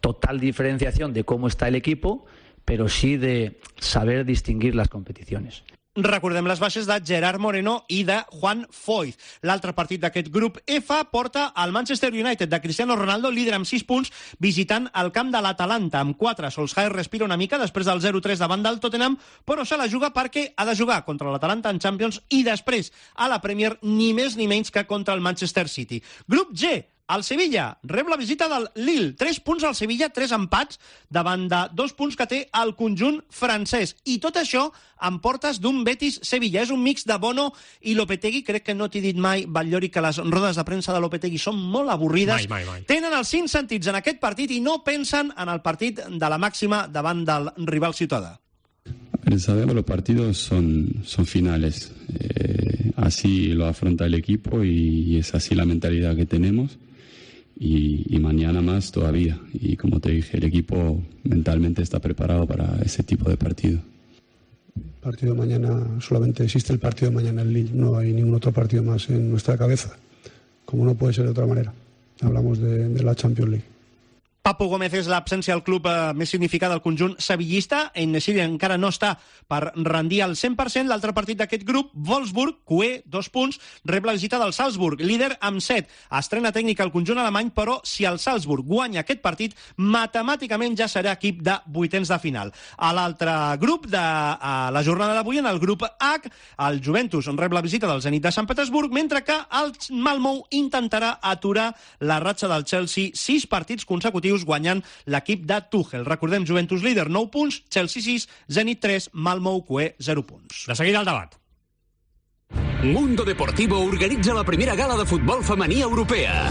total diferenciación de cómo está el equipo, pero sí de saber distinguir las competiciones. Recordem les baixes de Gerard Moreno i de Juan Foyth. L'altre partit d'aquest grup F porta el Manchester United de Cristiano Ronaldo, líder amb 6 punts, visitant el camp de l'Atalanta amb 4. Solskjaer respira una mica després del 0-3 davant del Tottenham, però se la juga perquè ha de jugar contra l'Atalanta en Champions i després a la Premier ni més ni menys que contra el Manchester City. Grup G, el Sevilla rep la visita del Lille. 3 punts al Sevilla, 3 empats davant de 2 punts que té el conjunt francès. I tot això en portes d'un Betis-Sevilla. És un mix de Bono i Lopetegui. Crec que no t'he dit mai, Batllori, que les rodes de premsa de Lopetegui són molt avorrides. Mai. Tenen els 5 sentits en aquest partit i no pensen en el partit de la màxima davant del rival ciutadà. Sabemos los partidos son finales. Así lo afronta el equipo y es así la mentalidad que tenemos. Y mañana más todavía. Y como te dije, el equipo mentalmente está preparado para ese tipo de partido. El partido de mañana, solamente existe el partido de mañana en Lille, no hay ningún otro partido más en nuestra cabeza, como no puede ser de otra manera. Hablamos de la Champions League. Papu Gómez és l'absència al club més significada del conjunt sevillista. En-Nesyri encara no està per rendir al 100%. L'altre partit d'aquest grup, Wolfsburg, QE, 2 punts, rep la visita del Salzburg, líder amb 7. Estrena tècnica al conjunt alemany, però si el Salzburg guanya aquest partit, matemàticament ja serà equip de vuitens de final. A l'altre grup de la jornada d'avui, en el grup H, el Juventus rep la visita del Zenit de Sant Petersburg, mentre que el Malmö intentarà aturar la ratxa del Chelsea, 6 partits consecutius guanyant l'equip de Tuchel. Recordem, Juventus líder, 9 punts, Chelsea 6, Zenit 3, Malmö QE 0 punts. De seguida el debat. Mundo Deportivo organitza la primera gala de futbol femení europea.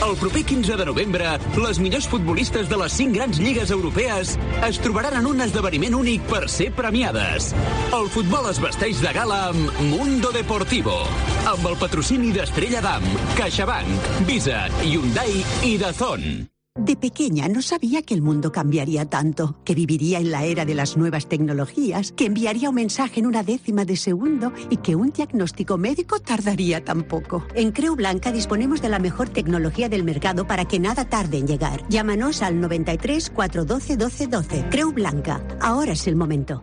El proper 15 de novembre, les millors futbolistes de les 5 grans lligues europees es trobaran en un esdeveniment únic per ser premiades. El futbol es vesteix de gala amb Mundo Deportivo, amb el patrocini d'Estrella Damm, CaixaBank, Visa, Hyundai i DAZN. De pequeña no sabía que el mundo cambiaría tanto, que viviría en la era de las nuevas tecnologías, que enviaría un mensaje en una décima de segundo y que un diagnóstico médico tardaría tan poco. En Creu Blanca disponemos de la mejor tecnología del mercado para que nada tarde en llegar. Llámanos al 93 412 12 12. Creu Blanca. Ahora es el momento.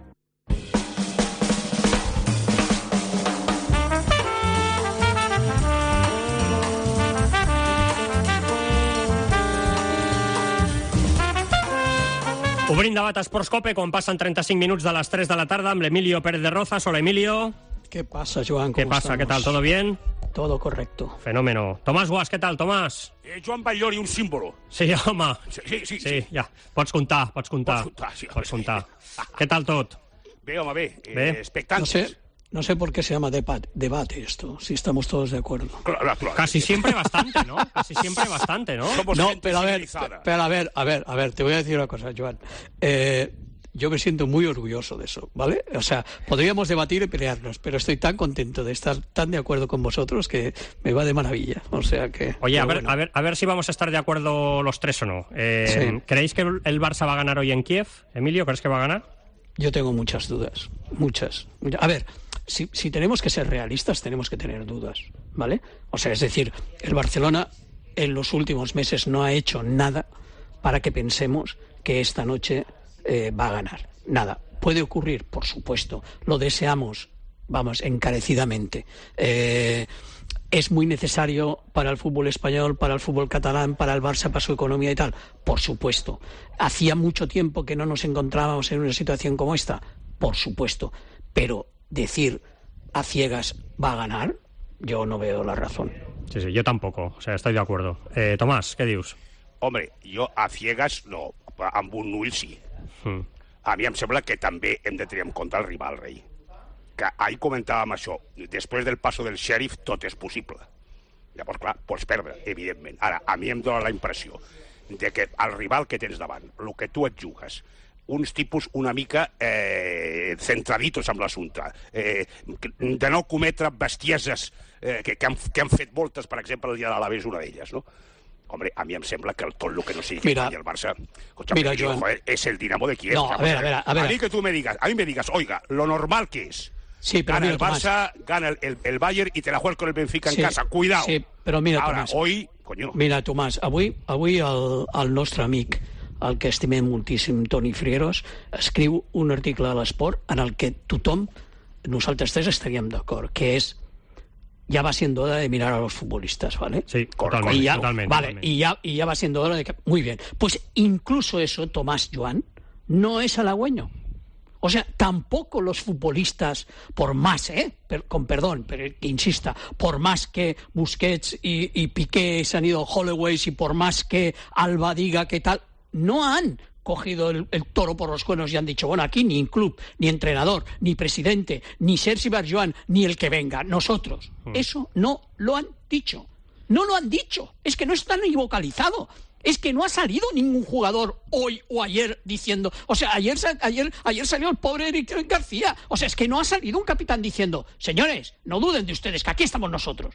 Obrim debat a Esports Cope quan passen 35 minuts de les 3 de la tarda amb l'Emilio Pérez de Rozas. Hola, Emilio. ¿Qué pasa, Joan? ¿Qué pasa? Estamos? ¿Qué tal? ¿Todo bien? Todo correcto. Fenómeno. Tomàs Guas, què tal, Tomàs? Joan Batllori, un símbolo. Sí, home. Sí, ja. Pots comptar. Pots comptar. Què tal tot? Bé, home, bé. Bé. Expectantes. No sé por qué se llama debate esto, si estamos todos de acuerdo. Claro. Casi siempre bastante, ¿no? Casi siempre bastante, ¿no? Somos No, gente pero a ver, te voy a decir una cosa, Joan. Yo me siento muy orgulloso de eso, ¿vale? O sea, podríamos debatir y pelearnos, pero estoy tan contento de estar tan de acuerdo con vosotros que me va de maravilla. O sea que... Oye, a ver si vamos a estar de acuerdo los tres o no. Sí. ¿Creéis que el Barça va a ganar hoy en Kiev? Emilio, ¿crees que va a ganar? Yo tengo muchas dudas, muchas. A ver, si tenemos que ser realistas, tenemos que tener dudas, ¿vale? O sea, es decir, el Barcelona en los últimos meses no ha hecho nada para que pensemos que esta noche va a ganar. Nada. Puede ocurrir, por supuesto. Lo deseamos, vamos, encarecidamente. ¿Es muy necesario para el fútbol español, para el fútbol catalán, para el Barça, para su economía y tal? Por supuesto. ¿Hacía mucho tiempo que no nos encontrábamos en una situación como esta? Por supuesto. Pero decir a ciegas va a ganar, yo no veo la razón. Sí, yo tampoco. O sea, estoy de acuerdo. Tomàs, què dius? Home, jo a ciegas no, amb un ull sí. A mi em sembla que també hem de tenir en compte el rival, rei. Que ahir comentàvem això, després del passo del xèrif tot és possible. Llavors, clar, pots perdre, evidentment. Ara, a mi em dóna la impressió de que el rival que tens davant, el que tu et jugues, uns tipus una mica centraditos amb l'assumpte, de no cometre bestieses que han fet voltes, per exemple, el dia de l'Alavés, una d'elles, no? Hombre, a mí me sembla que tot el que no sigui que guanya el Barça, Joan, joder, es el Dinamo de Kiev. No, a ver. A mí que tú me digas, oiga, lo normal que es. Sí, pero gana mira, el Barça, gana el Bayern y te la juegas con el Benfica en casa. Cuidado. Sí, però mira, Ara, Tomàs, hoy, coño. Mira, Tomàs, avui el nostre amic, el que estimem moltíssim, Toni Frieros, escriu un article a l'Esport en el que tothom, nosaltres tres estaríem d'acord, que és ya va siendo hora de mirar a los futbolistas, ¿vale? Sí, totalmente. Vale, y ya va siendo hora de que... Muy bien. Pues incluso eso, Tomás, Joan, no es halagüeño. O sea, tampoco los futbolistas, por más, con perdón, pero que insista, por más que Busquets y Piqué se han ido Hollyways y por más que Alba diga que tal, no han cogido el toro por los cuernos y han dicho, bueno, aquí ni club, ni entrenador, ni presidente, ni Sergi Barjuan, ni el que venga, nosotros. Eso no lo han dicho. No lo han dicho. Es que no está ni vocalizado. Es que no ha salido ningún jugador hoy o ayer diciendo... O sea, ayer salió el pobre Eric García. O sea, es que no ha salido un capitán diciendo, señores, no duden de ustedes, que aquí estamos nosotros.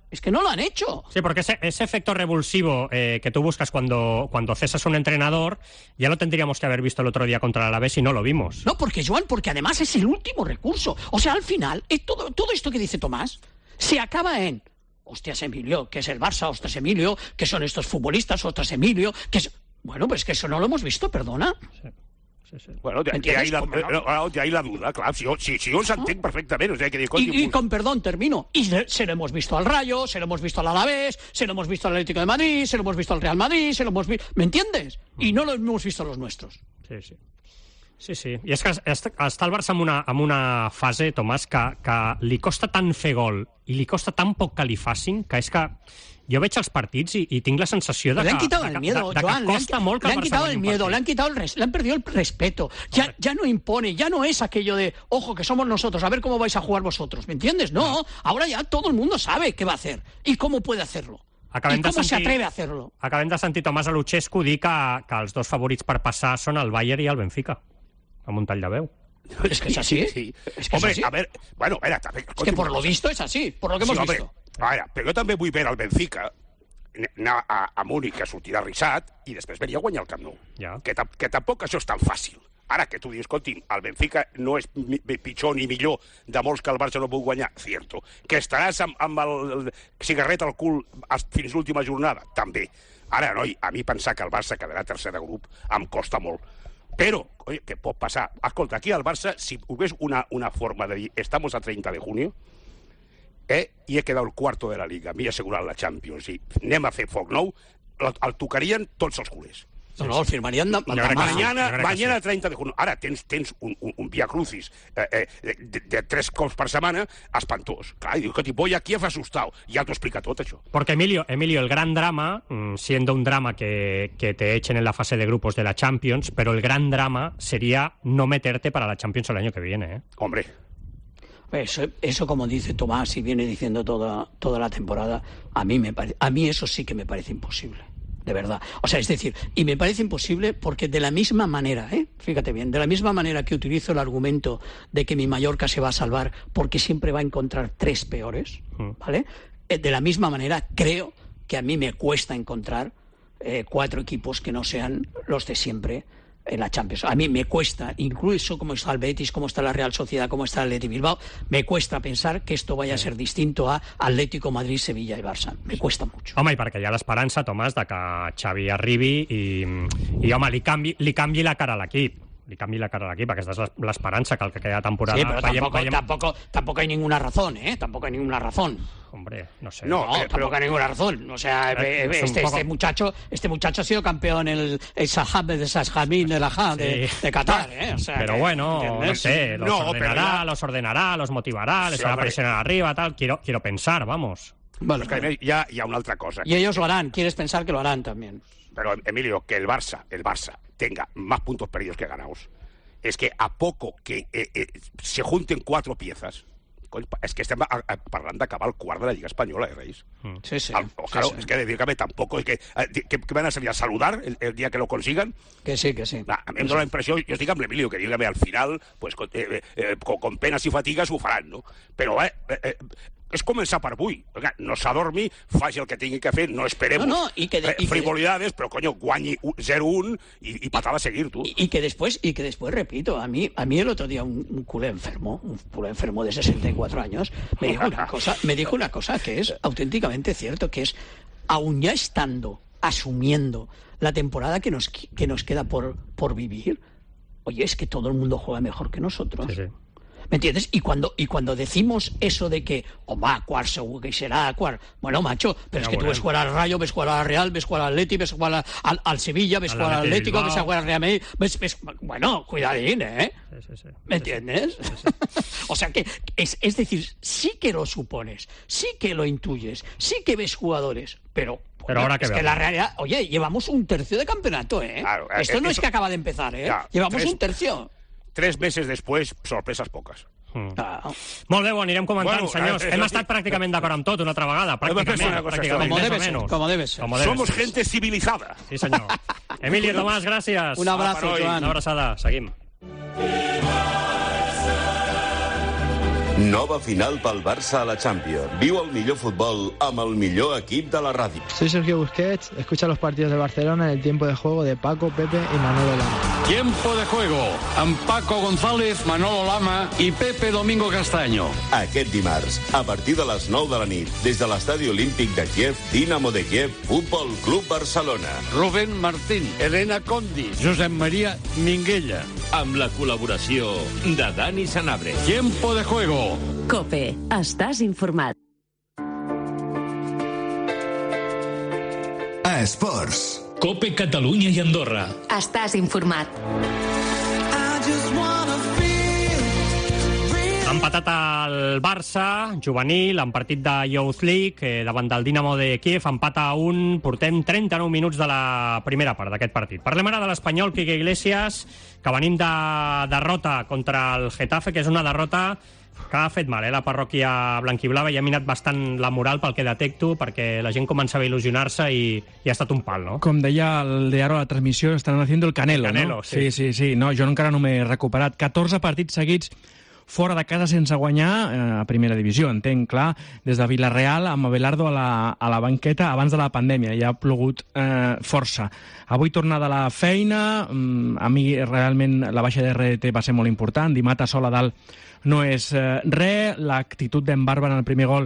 Es que no lo han hecho. Sí, porque ese efecto revulsivo que tú buscas cuando cesas un entrenador, ya lo tendríamos que haber visto el otro día contra el Alavés y no lo vimos. No, porque además es el último recurso. O sea, al final, todo esto que dice Tomás se acaba en... Hostias, Emilio, que es el Barça, ostras, Emilio, que son estos futbolistas, ostras, Emilio, que es... Bueno, pues que eso no lo hemos visto, perdona. Sí. Bueno, de ahí la duda, claro. Si yo se entiende perfectamente. O sea, que y con perdón, termino. Y se lo hemos visto al Rayo, se lo hemos visto al Alavés, se lo hemos visto al Atlético de Madrid, se lo hemos visto al Real Madrid, se lo hemos visto... ¿Me entiendes? Y no lo hemos visto a los nuestros. Sí. I és que està el Barça en una fase, Tomàs, que li costa tant fer gol i li costa tan poc que li facin, que és que jo veig els partits i tinc la sensació de que costa molt que el Barça guanyi un partit. Le han quitado el miedo, le han perdido el respeto. Ya no impone, ya no es aquello de, ojo, que somos nosotros, a ver cómo vais a jugar vosotros, ¿me entiendes? No, ahora ya todo el mundo sabe qué va a hacer y cómo puede hacerlo. I com se atreve a hacerlo. Acabem de sentir Tomàs a Luchescu dir que els dos favorits per passar són el Bayern i el Benfica, amb un tall de veu. Es que es así. Sí. Es que hombre, es así. a ver, bueno, espera, también, es que por lo visto es así, por lo que hemos visto. A veure, però jo també vull veure el Benfica anar a Múnich a sortir arrissat i després venir a guanyar el Camp Nou. Ja. Que tampoc això és tan fàcil. Ara que tu dius, escolti, el Benfica no és pitjor ni millor de molts que el Barça no puc guanyar, cierto. Que estaràs amb el cigarret al cul fins l'última jornada, també. Ara, noi, a mi pensar que el Barça quedarà tercer de grup em costa molt. Però, oye, què pot passar? Escolta, aquí al Barça, si hubies una forma de dir estamos a 30 de junio i he quedat el cuarto de la Liga, m'he assegurat la Champions i anem a fer foc nou, el tocarien tots els culers. No, el firmarían mañana 30 de junio. Ara tens un via crucis de 3 cops per setmana espantós. Clar, i diu que voy a Kiev asustado. Ja t'ho explica tot, això. Porque Emilio, el gran drama, siendo un drama que te echen en la fase de grupos de la Champions, pero el gran drama sería no meterte para la Champions el año que viene, ¿eh? Hombre. Eso como dice Tomás y viene diciendo toda la temporada, a mí eso sí que me parece imposible. De verdad. O sea, es decir, y me parece imposible porque de la misma manera, fíjate bien, de la misma manera que utilizo el argumento de que mi Mallorca se va a salvar porque siempre va a encontrar 3 peores, ¿vale? De la misma manera creo que a mí me cuesta encontrar 4 equipos que no sean los de siempre en la Champions. A mí me cuesta, incluso como está el Betis, como está la Real Sociedad, como está el Atleti Bilbao, me cuesta pensar que esto vaya a ser distinto a Atlético, Madrid, Sevilla i Barça. Me cuesta mucho. Home, i perquè hi ha l'esperança, Tomàs, de que Xavi arribi i home, li canvi la cara a l'equip. Li canvi la cara a l'equip, aquesta és l'esperança que el que queda temporada... Sí, pero tampoco hay ninguna razón, Tampoco hay ninguna razón. Hombre, no sé. No, tampoco hay ninguna razón. O sea, este muchacho ha sido campeón en el Sahab de Sasjamín de la de Qatar, O sea, pero bueno, no sé, los ordenará, los motivará, les hará presionar arriba, tal. Quiero pensar, vamos. Vale, que hi ha una altra cosa. Y ellos lo harán, quieres pensar que lo harán también. Pero, Emilio, que el Barça tenga más puntos perdidos que ganados, es que a poco que se junten 4 piezas, es que estem parlant d'acabar el quart de la Lliga Espanyola, Reis? Sí. Claro, es que dígame, tampoco es que van a salir a saludar el día que lo consigan. Que sí. A mi em dóna la impressió, jo estic amb l'Emilio, que dígame, al final, pues, con penas y fatigas ho faran, no? Però és començar per avui. No s'adormi, faci el que tingui que fer, no esperem frivolidades, però, coño, guanyi 0-1 y patada a seguir, tú. Y que después, repito, a mí el otro día un culé enfermo de 64 años, me dijo una cosa que es auténticamente cierto, que es, aún ya asumiendo la temporada que nos queda por vivir, oye, es que todo el mundo juega mejor que nosotros. Sí. ¿Me entiendes? Y cuando decimos eso de que, cuart segur que será, cuart... Bueno, macho, pero es que tú ves jugar al Rayo, ves jugar al Real, ves jugar al Atleti, ves jugar al Sevilla, ves jugar al Atlético, ves jugar al Real Madrid, bueno, cuidadín, Sí. ¿Me entiendes? Sí. O sea que, es decir, sí que lo supones, sí que lo intuyes, sí que ves jugadores, pero ahora es que la realidad, oye, llevamos un tercio de campeonato, Claro, esto no es que acaba de empezar, llevamos un tercio. 3 meses després, sorpreses poques. Molt bé, ho anirem comentant, senyors. Hem estat pràcticament d'acord amb tot una altra vegada, pràcticament. Como debe ser. Somos gente civilizada. Sí, senyor. Emilio, Tomàs, gràcies. Un abrazo, Joan. Una abraçada. Seguim. Nova final pel Barça a la Champions. Viu el millor futbol amb el millor equip de la ràdio. Soy Sergio Busquets, escucha los partidos de Barcelona en el tiempo de juego de Paco, Pepe y Manolo Lama. Tiempo de juego amb Paco González, Manolo Lama i Pepe Domingo Castaño. Aquest dimarts, a partir de les 9 de la nit, des de l'Estadi Olímpic de Kiev, Dinamo de Kiev, Futbol Club Barcelona. Rubén Martín, Elena Condi, Josep María Minguella. Amb la col·laboració de Dani Sanabria. Tiempo de juego. COPE. Estàs informat. A Esports. COPE Catalunya i Andorra. Estàs informat. Ha empatat el Barça juvenil en partit de Youth League davant del Dinamo de Kiev, empat a 1. Portem 39 minuts de la primera part d'aquest partit. Parlem ara de l'espanyol Quique Iglesias, que venim de derrota contra el Getafe, que és una derrota que ha fet mal, la parròquia blanquiblava, i ha minat bastant la moral pel que detecto, perquè la gent començava a il·lusionar-se i ha estat un pal, no? Com deia el Diario a la transmissió, estan haciendo el Canelo, Canelo, no? Sí. No, jo encara no m'he recuperat. 14 partits seguits fora de casa sense guanyar a primera divisió, entenc, clar, des de Villarreal amb Abelardo a la banqueta abans de la pandèmia, ja ha plogut força. Avui tornada a la feina, a mi realment la baixa de RDT va ser molt important, Dimata sol a dalt no és res, l'actitud d'en Barba en el primer gol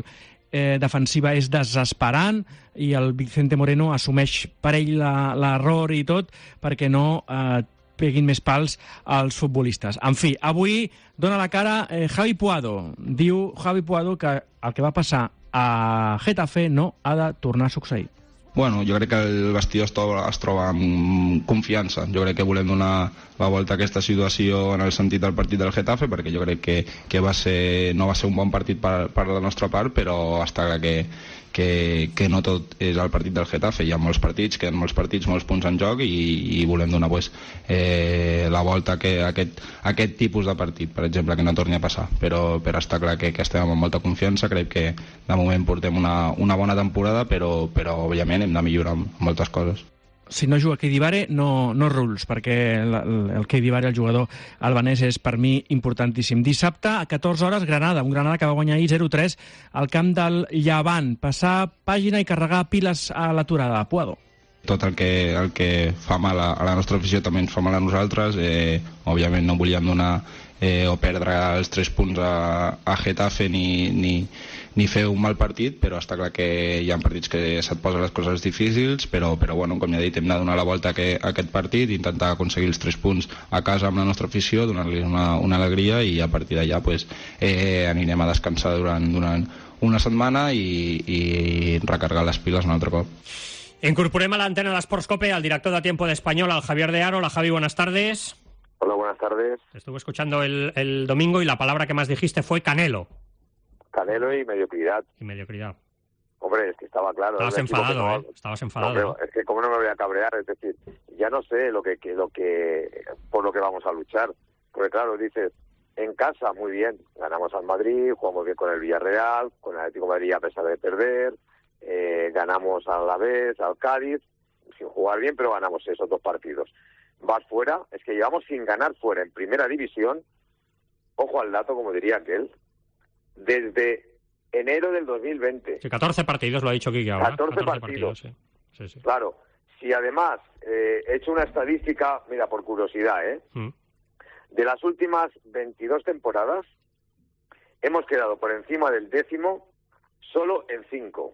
defensiva és desesperant i el Vicente Moreno assumeix per ell l'error i tot perquè no peguin més pals als futbolistes. En fi, avui dona la cara Javi Puado. Diu Javi Puado que el que va passar a Getafe no ha de tornar a succeir. Bueno, jo crec que el vestidor es troba amb confiança. Jo crec que volem donar la volta a aquesta situació en el sentit del partit del Getafe, perquè jo crec que no va ser un bon partit per la nostra part, però està clar que no tot és el partit del Getafe. Hi ha molts partits, queden molts partits, molts punts en joc i volem donar la volta a aquest tipus de partit, per exemple, que no torni a passar. Però està clar que estem amb molta confiança. Crec que de moment portem una bona temporada, però òbviament hem de millorar moltes coses. Si no juga Keidibare, no rules, perquè el Keidibare, el jugador albanès, és per mi importantíssim. Dissabte, a 14 hores, Granada, un Granada que va guanyar ahir 0-3 al camp del Llevant. Passar pàgina i carregar piles a l'aturada. Puado. Tot el que fa mal a la nostra afició també ens fa mal a nosaltres. Òbviament no volíem donar o perdre els 3 punts a Getafe ni fer un mal partit, però està clar que hi ha partits que se't posen les coses difícils, però bueno, com ja he dit, hem de donar la volta a aquest partit, intentar aconseguir els 3 punts a casa amb la nostra afició, donar-los una alegria, i a partir d'allà anirem a descansar durant una setmana i recargar les piles un altre cop. Incorporem a l'antena d'Esports Cope al director de Tiempo de Español, al Javier de Aro. Hola, Javi, buenas tardes. Hola, buenas tardes. Te estuve escuchando el domingo y la palabra que más dijiste fue Canelo. Canelo y mediocridad. Hombre, es que estaba claro. Estabas enfadado, Estabas enfadado. No, es que cómo no me voy a cabrear, es decir, ya no sé por lo que vamos a luchar. Porque claro, dices, en casa muy bien, ganamos al Madrid, jugamos bien con el Villarreal, con el Atlético de Madrid a pesar de perder, ganamos al Alavés, al Cádiz, sin jugar bien, pero ganamos esos 2 partidos. Vas fuera, es que llevamos sin ganar fuera en primera división, ojo al dato, como diría aquel, desde enero del 2020. Sí, 14 partidos, lo ha dicho Quique ahora. 14 partidos. Sí. Claro, si además he hecho una estadística, mira, por curiosidad, de las últimas 22 temporadas, hemos quedado por encima del 10º solo en 5.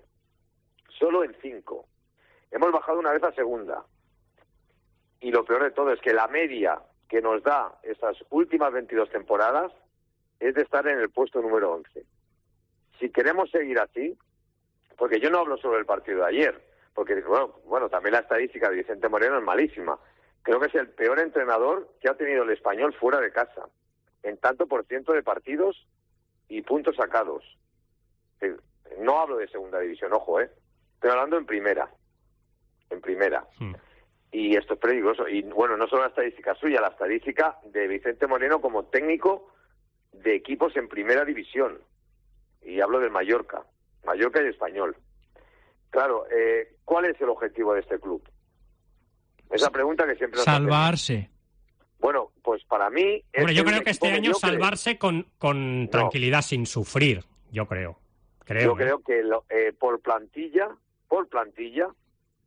Solo en 5. Hemos bajado una vez a segunda. Y lo peor de todo es que la media que nos da esas últimas 22 temporadas es de estar en el puesto número 11. Si queremos seguir así, porque yo no hablo sobre el partido de ayer, porque bueno, también la estadística de Vicente Moreno es malísima. Creo que es el peor entrenador que ha tenido el Español fuera de casa, en tanto por ciento de partidos y puntos sacados. No hablo de segunda división, ojo, estoy hablando en primera. Y esto es peligroso. Y bueno, no solo la estadística suya, la estadística de Vicente Moreno como técnico de equipos en primera división. Y hablo del Mallorca y Español. Claro, ¿cuál es el objetivo de este club? Es la pregunta que siempre nos salvarse. Hacemos. Bueno, pues para mí... Hombre, yo creo que este año salvarse con tranquilidad, sin sufrir, yo creo. Yo creo que por plantilla,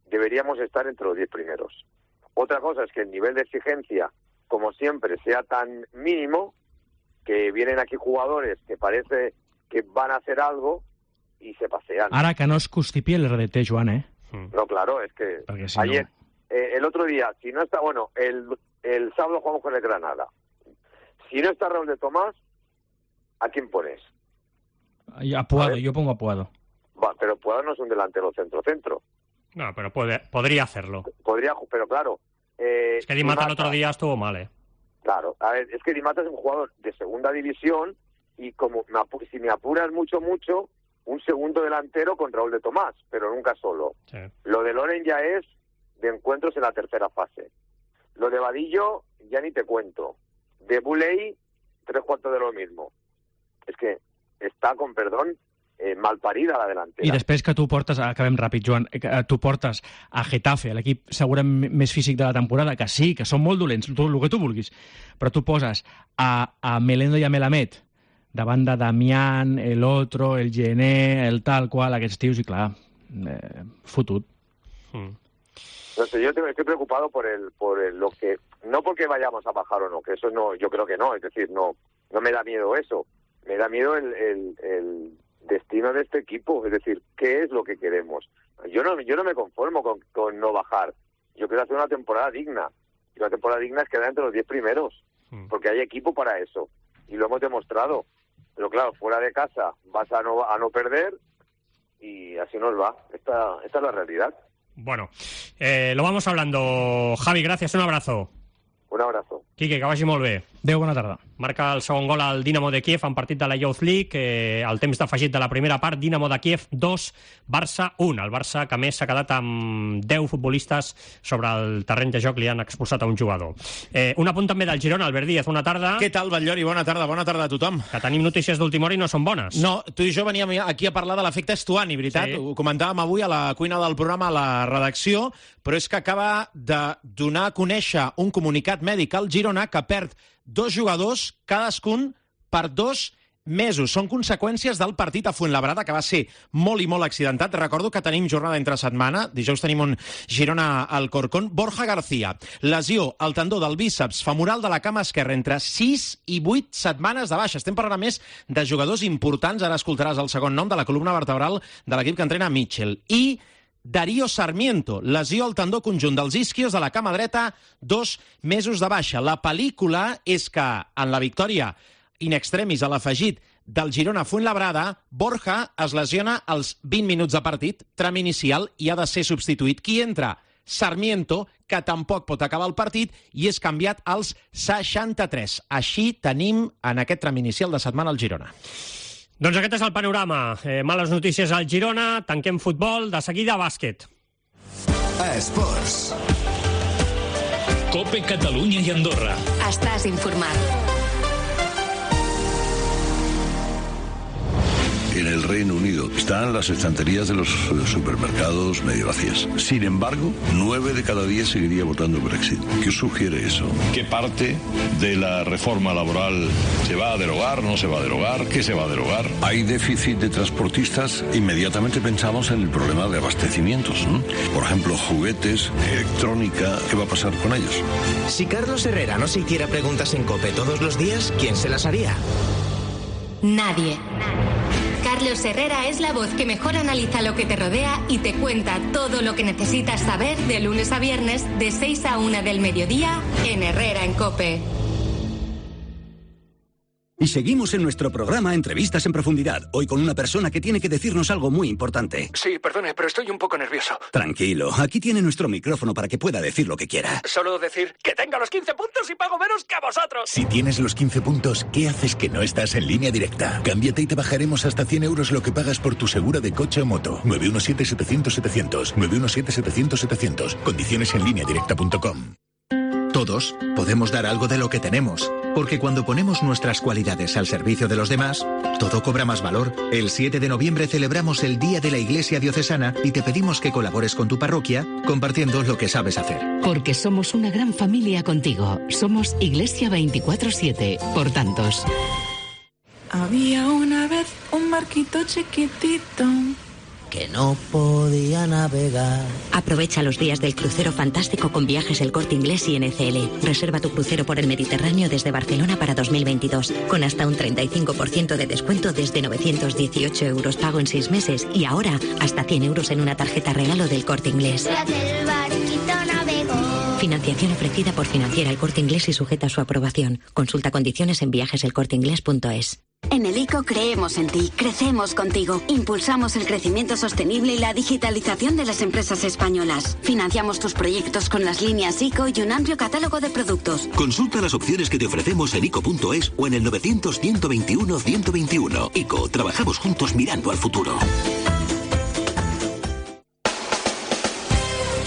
deberíamos estar entre los 10 primeros. Otra cosa es que el nivel de exigencia, como siempre, sea tan mínimo que vienen aquí jugadores que parece que van a hacer algo y se pasean. Ara que no es constipi el RDT, Joan, No, claro, es que si ayer, el otro día, si no está, bueno, el sábado jugamos con el Granada. Si no está Raúl de Tomás, ¿a quién pones? A Puado, yo pongo a Puado. Va, pero Puado no es un delantero centro. No, pero podría hacerlo. Pero claro... es que Di Mata el otro día estuvo mal, Claro, a ver, es que Di Mata es un jugador de segunda división y como si me apuras mucho, un segundo delantero con Raúl de Tomás, pero nunca solo. Sí. Lo de Loren ya es de encuentros en la tercera fase. Lo de Vadillo ya ni te cuento. De Buley, 3/4 de lo mismo. Es que está, con perdón, mal parida la delantera. I després que tu portes, acabem ràpid, Joan, tu portes a Getafe, l'equip segurament més físic de la temporada, que sí, que són molt dolents, el que tu vulguis, però tu poses a Melendo i a Melamed davant de Damián, el otro, el Gené, el tal qual, aquests tios, i clar, fotut. No sé, yo estoy preocupado por lo que... No porque vayamos a bajar o no, que eso no, yo creo que no, es decir, no me da miedo eso, me da miedo el destino de este equipo, es decir, ¿qué es lo que queremos? Yo no me conformo con no bajar, yo quiero hacer una temporada digna, y una temporada digna es quedar entre los 10 primeros, porque hay equipo para eso, y lo hemos demostrado, pero claro, fuera de casa vas a no perder, y así nos va, esta es la realidad. Bueno, lo vamos hablando. Javi, gracias, un abrazo. Un abrazo. Quique, que vagi molt bé. Adéu, bona tarda. Marca el segon gol al Dinamo de Kiev en partit de la Youth League. El temps d'afegit de la primera part, Dinamo de Kiev 2, Barça 1. El Barça, que més s'ha quedat amb 10 futbolistes sobre el terreny de joc, li han expulsat a un jugador. Un apunt també del Girona, Albert Díaz, bona tarda. Què tal, Batllori? Bona tarda a tothom. Que tenim notícies d'última hora i no són bones. No, tu i jo veníem aquí a parlar de l'efecte Estuani, veritat? Sí. Ho comentàvem avui a la cuina del programa, a la redacció, però és que acaba de donar a conèixer un comunicat mèdic al Girona que perd 2 jugadors, cadascun per 2 mesos. Són conseqüències del partit a Fuenlabrada, que va ser molt i molt accidentat. Recordo que tenim jornada entre setmana. Dijous tenim un Girona al Corcón. Borja García, lesió al tendó del bíceps femoral de la cama esquerra entre 6 i 8 setmanes de baixa. Estem parlant, a més, de jugadors importants. Ara escoltaràs el segon nom de la columna vertebral de l'equip que entrena Mitchell. I Darío Sarmiento, lesió al tendó conjunt dels isquios de la cama dreta, 2 mesos de baixa. La pel·lícula és que en la victòria in extremis a l'afegit del Girona Fuenlabrada, Borja es lesiona als 20 minuts de partit, tram inicial, i ha de ser substituït. Qui entra? Sarmiento, que tampoc pot acabar el partit, i és canviat als 63. Així tenim en aquest tram inicial de setmana al Girona. Doncs aquest és el panorama. Males notícies al Girona, tanquem futbol, de seguida bàsquet. Esports. COPE Catalunya i Andorra. Estàs informat. En el Reino Unido están las estanterías de los supermercados medio vacías. Sin embargo, 9 de cada 10 seguiría votando Brexit. ¿Qué os sugiere eso? ¿Qué parte de la reforma laboral se va a derogar, no se va a derogar? ¿Qué se va a derogar? Hay déficit de transportistas. Inmediatamente pensamos en el problema de abastecimientos, ¿no? Por ejemplo, juguetes, electrónica. ¿Qué va a pasar con ellos? Si Carlos Herrera no se hiciera preguntas en COPE todos los días, ¿quién se las haría? Nadie. Carlos Herrera es la voz que mejor analiza lo que te rodea y te cuenta todo lo que necesitas saber de lunes a viernes de 6 a 1 del mediodía en Herrera en COPE. Y seguimos en nuestro programa Entrevistas en Profundidad, hoy con una persona que tiene que decirnos algo muy importante. Sí, perdone, pero estoy un poco nervioso. Tranquilo, aquí tiene nuestro micrófono para que pueda decir lo que quiera. Solo decir que tenga los 15 puntos y pago menos que a vosotros. Si tienes los 15 puntos, ¿qué haces que no estás en Línea Directa? Cámbiate y te bajaremos hasta 100 euros lo que pagas por tu segura de coche o moto. 917-700-700. 917-700-700. Condiciones en lineadirecta.com. Todos podemos dar algo de lo que tenemos, porque cuando ponemos nuestras cualidades al servicio de los demás, todo cobra más valor. El 7 de noviembre celebramos el Día de la Iglesia Diocesana y te pedimos que colabores con tu parroquia compartiendo lo que sabes hacer. Porque somos una gran familia contigo. Somos Iglesia 24/7, por tantos. Había una vez un barquito chiquitito que no podía navegar. Aprovecha los días del crucero fantástico con Viajes El Corte Inglés y NCL. Reserva tu crucero por el Mediterráneo desde Barcelona para 2022, con hasta un 35% de descuento desde 918 euros pago en 6 meses y ahora hasta 100 euros en una tarjeta regalo del Corte Inglés. El barquito navegó. Financiación ofrecida por Financiera El Corte Inglés y sujeta a su aprobación. Consulta condiciones en viajeselcorteinglés.es. En el ICO creemos en ti, crecemos contigo, impulsamos el crecimiento sostenible y la digitalización de las empresas españolas. Financiamos tus proyectos con las líneas ICO y un amplio catálogo de productos. Consulta las opciones que te ofrecemos en ICO.es o en el 900-121-121. ICO, trabajamos juntos mirando al futuro.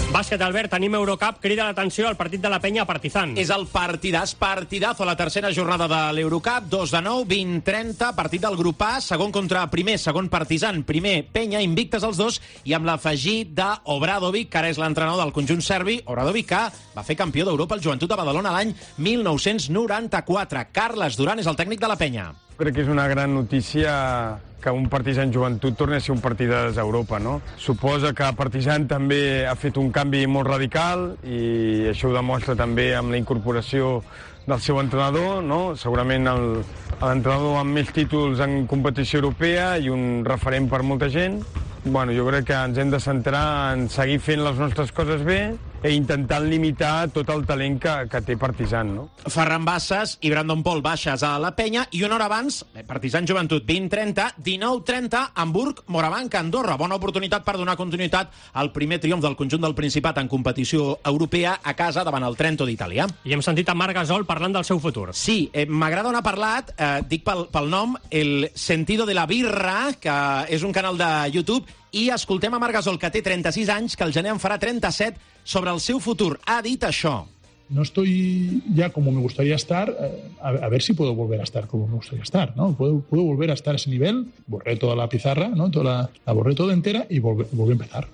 Bàsquet, Albert, tenim Eurocup, crida l'atenció al partit de la Penya Partizan. És el partidazo a la tercera jornada de l'Eurocup, 2 de 9, 20-30, partit del grup A, segon contra primer, segon Partizan, primer Penya, invictes els dos, i amb l'afegit d'Obradovic, que ara és l'entrenador del conjunt serbi, Obradovic, que va fer campió d'Europa al Joventut de Badalona l'any 1994. Carles Duran és el tècnic de la Penya. Crec que és una gran notícia que un Partizan Joventut torni a ser un partidàs a Europa, no? Suposa que Partizan també ha fet un canvi molt radical i això ho demostra també amb la incorporació del seu entrenador, no? Segurament l'entrenador amb més títols en competició europea i un referent per molta gent. Bueno, jo crec que ens hem de centrar en seguir fent les nostres coses bé intentant limitar tot el talent que té Partizan, no? Ferran Bassas i Brandon Paul baixes a la penya i una hora abans, Partizan Joventut 20-30, 19-30, Hamburg, Morabanc, Andorra. Bona oportunitat per donar continuïtat al primer triomf del conjunt del Principat en competició europea a casa davant el Trento d'Itàlia. I hem sentit a Marc Gasol parlant del seu futur. Sí, m'agrada on ha parlat, dic pel nom, El Sentido de la Birra, que és un canal de YouTube, i escoltem a Marc Gasol, que té 36 anys, que el gener en farà 37, sobre el seu futur. Ha dit això. No estoy ya como me gustaría estar, a ver si puedo volver a estar como me gustaría estar, ¿no? Puedo volver a estar a ese nivel, borré toda la pizarra, ¿no? La borré toda entera y volví a empezar.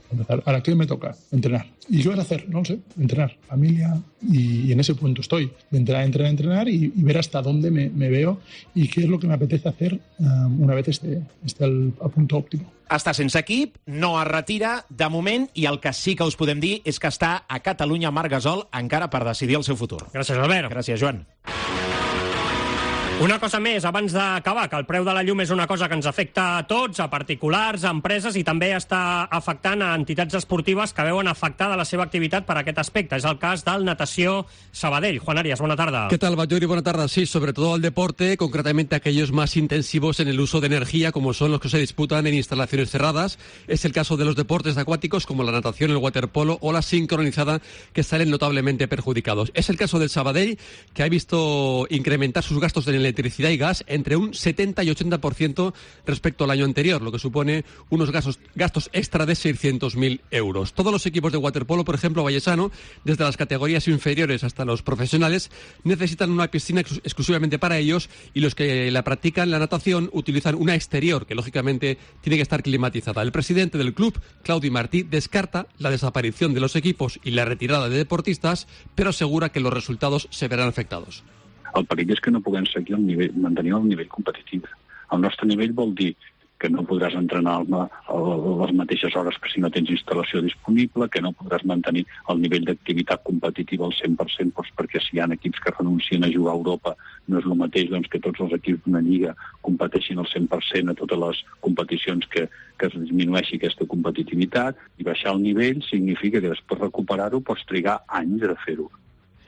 Ahora, ¿qué me toca? Entrenar. ¿Y qué vas a hacer? No lo sé, entrenar, familia, y en ese punto estoy, de entrenar y ver hasta dónde me veo y qué es lo que me apetece hacer una vez esté al punto óptimo. Està sense equip, no es retira de moment, i el que sí que us podem dir és que està a Catalunya Marc Gasol encara per decidir el seu futur. Gràcies, Albert. Gràcies, Joan. Una cosa més, abans d'acabar, que el preu de la llum és una cosa que ens afecta a tots, a particulars, a empreses, i també està afectant a entitats esportives que veuen afectada la seva activitat per aquest aspecte. És el cas del Natació Sabadell. Juan Arias, buena tarde. ¿Qué tal, Bayori? Buena tarde. Sí, sobre todo al deporte, concretamente aquellos más intensivos en el uso de energía, como son los que se disputan en instalaciones cerradas. Es el caso de los deportes acuáticos, como la natación, el waterpolo o la sincronizada, que salen notablemente perjudicados. Es el caso del Sabadell, que ha visto incrementar sus gastos en electricidad y gas entre un 70 y 80% respecto al año anterior, lo que supone unos gastos extra de 600.000 euros. Todos los equipos de waterpolo, por ejemplo, Vallesano, desde las categorías inferiores hasta los profesionales, necesitan una piscina exclusivamente para ellos, y los que la practican, la natación, utilizan una exterior que lógicamente tiene que estar climatizada. El presidente del club, Claudi Martí, descarta la desaparición de los equipos y la retirada de deportistas, pero asegura que los resultados se verán afectados. El perill és que no puguem seguir mantenir el nivell competitiu. El nostre nivell vol dir que no podràs entrenar a les mateixes hores que si no tens instal·lació disponible, que no podràs mantenir el nivell d'activitat competitiva al 100%, doncs perquè si hi ha equips que renuncien a jugar a Europa, no és el mateix que tots els equips d'una lliga competeixin al 100% a totes les competicions, que es disminueixi aquesta competitivitat, i baixar el nivell significa que després recuperar-ho pots trigar anys a fer-ho.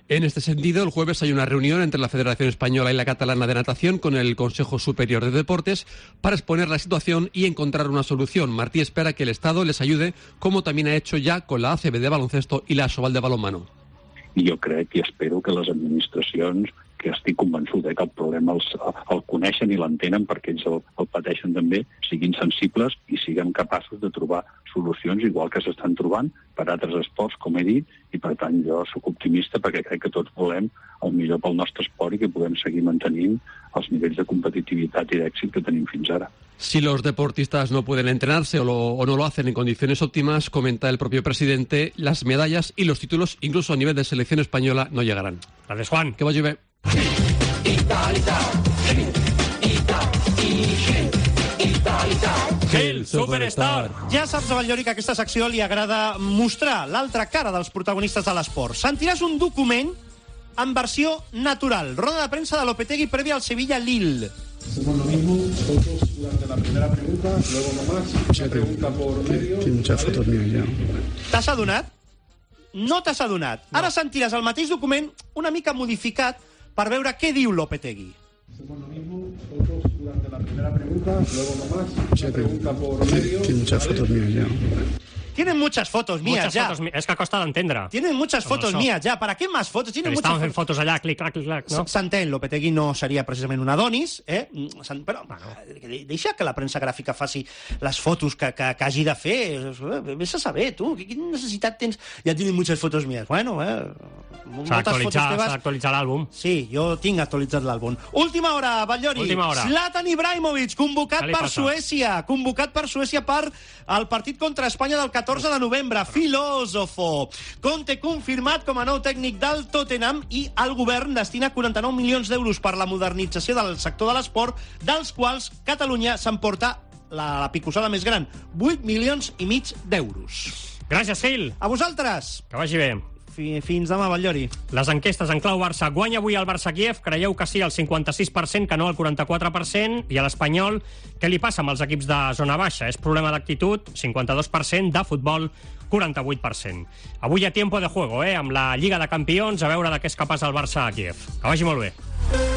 En este sentido, el jueves hay una reunión entre la Federación Española y la Catalana de Natación con el Consejo Superior de Deportes para exponer la situación y encontrar una solución. Martí espera que el Estado les ayude, como también ha hecho ya con la ACB de baloncesto y la Asobal de balonmano. I jo crec i espero que les administracions, que estic convençut que el problema el coneixen i l'entenen perquè ells el pateixen també, siguin sensibles i siguin capaços de trobar solucions igual que s'estan trobant per altres esports, com he dit, i per tant jo soc optimista perquè crec que tots volem el millor pel nostre esport i que puguem seguir mantenint els nivells de competitivitat i d'èxit que tenim fins ara. Si los deportistas no pueden entrenarse o no lo hacen en condiciones óptimas, comenta el propio presidente, las medallas y los títulos, incluso a nivel de selección española, no llegarán. Gracias, Juan. Que vagi bé. El Superstar. Ja saps, Avallori, que a aquesta secció li agrada mostrar l'altra cara dels protagonistes de l'esport. Sentiràs un document en versió natural. Roda de premsa de Lopetegui previa al Sevilla-Lille. Hacemos lo mismo, fotos durante la primera pregunta, luego nomás, una pregunta por medio... Tinc muchas fotos mías ya. T'has adonat? No t'has adonat. Ara sentiràs el mateix document una mica modificat per veure què diu Lopetegui. Hacemos lo mismo, fotos durante la primera pregunta, luego nomás, una pregunta por medio... Tinc muchas fotos mías ya. Tienen muchas fotos mías ya. Es que costa d'entendre. Tienen muchas fotos mías ya. ¿Para qué más fotos? Tienen muchas fent fotos allà, clic-clac, no? S'entén, Lopetegui no seria precisament un Adonis, però deixa que la premsa gràfica faci les fotos que hagi de fer. Vés a saber, tu, quina necessitat tens? Ja tienen muchas fotos mías. Bueno, s'ha d'actualitzar l'àlbum. Sí, jo tinc actualitzat l'àlbum. Última hora, Batllori. Zlatan Ibrahimovic, convocat per Suècia. Convocat per Suècia per el partit contra Espanya del 14 de novembre. Filòsofo. Conte confirmat com a nou tècnic del Tottenham, i el govern destina 49 milions d'euros per la modernització del sector de l'esport, dels quals Catalunya s'emporta la picossada més gran, 8,5 milions d'euros. Gràcies, Gil. A vosaltres. Que vagi bé. Fins demà, Batllori. Les enquestes en clau Barça. Guanya avui el Barça-Kiev? Creieu que sí, el 56%, que no el 44%. I a l'Espanyol, què li passa amb els equips de zona baixa? És problema d'actitud? 52%. De futbol, 48%. Avui hi ha tiempo de juego, amb la Lliga de Campions, a veure de què és capaç el Barça a Kiev. Que vagi molt bé.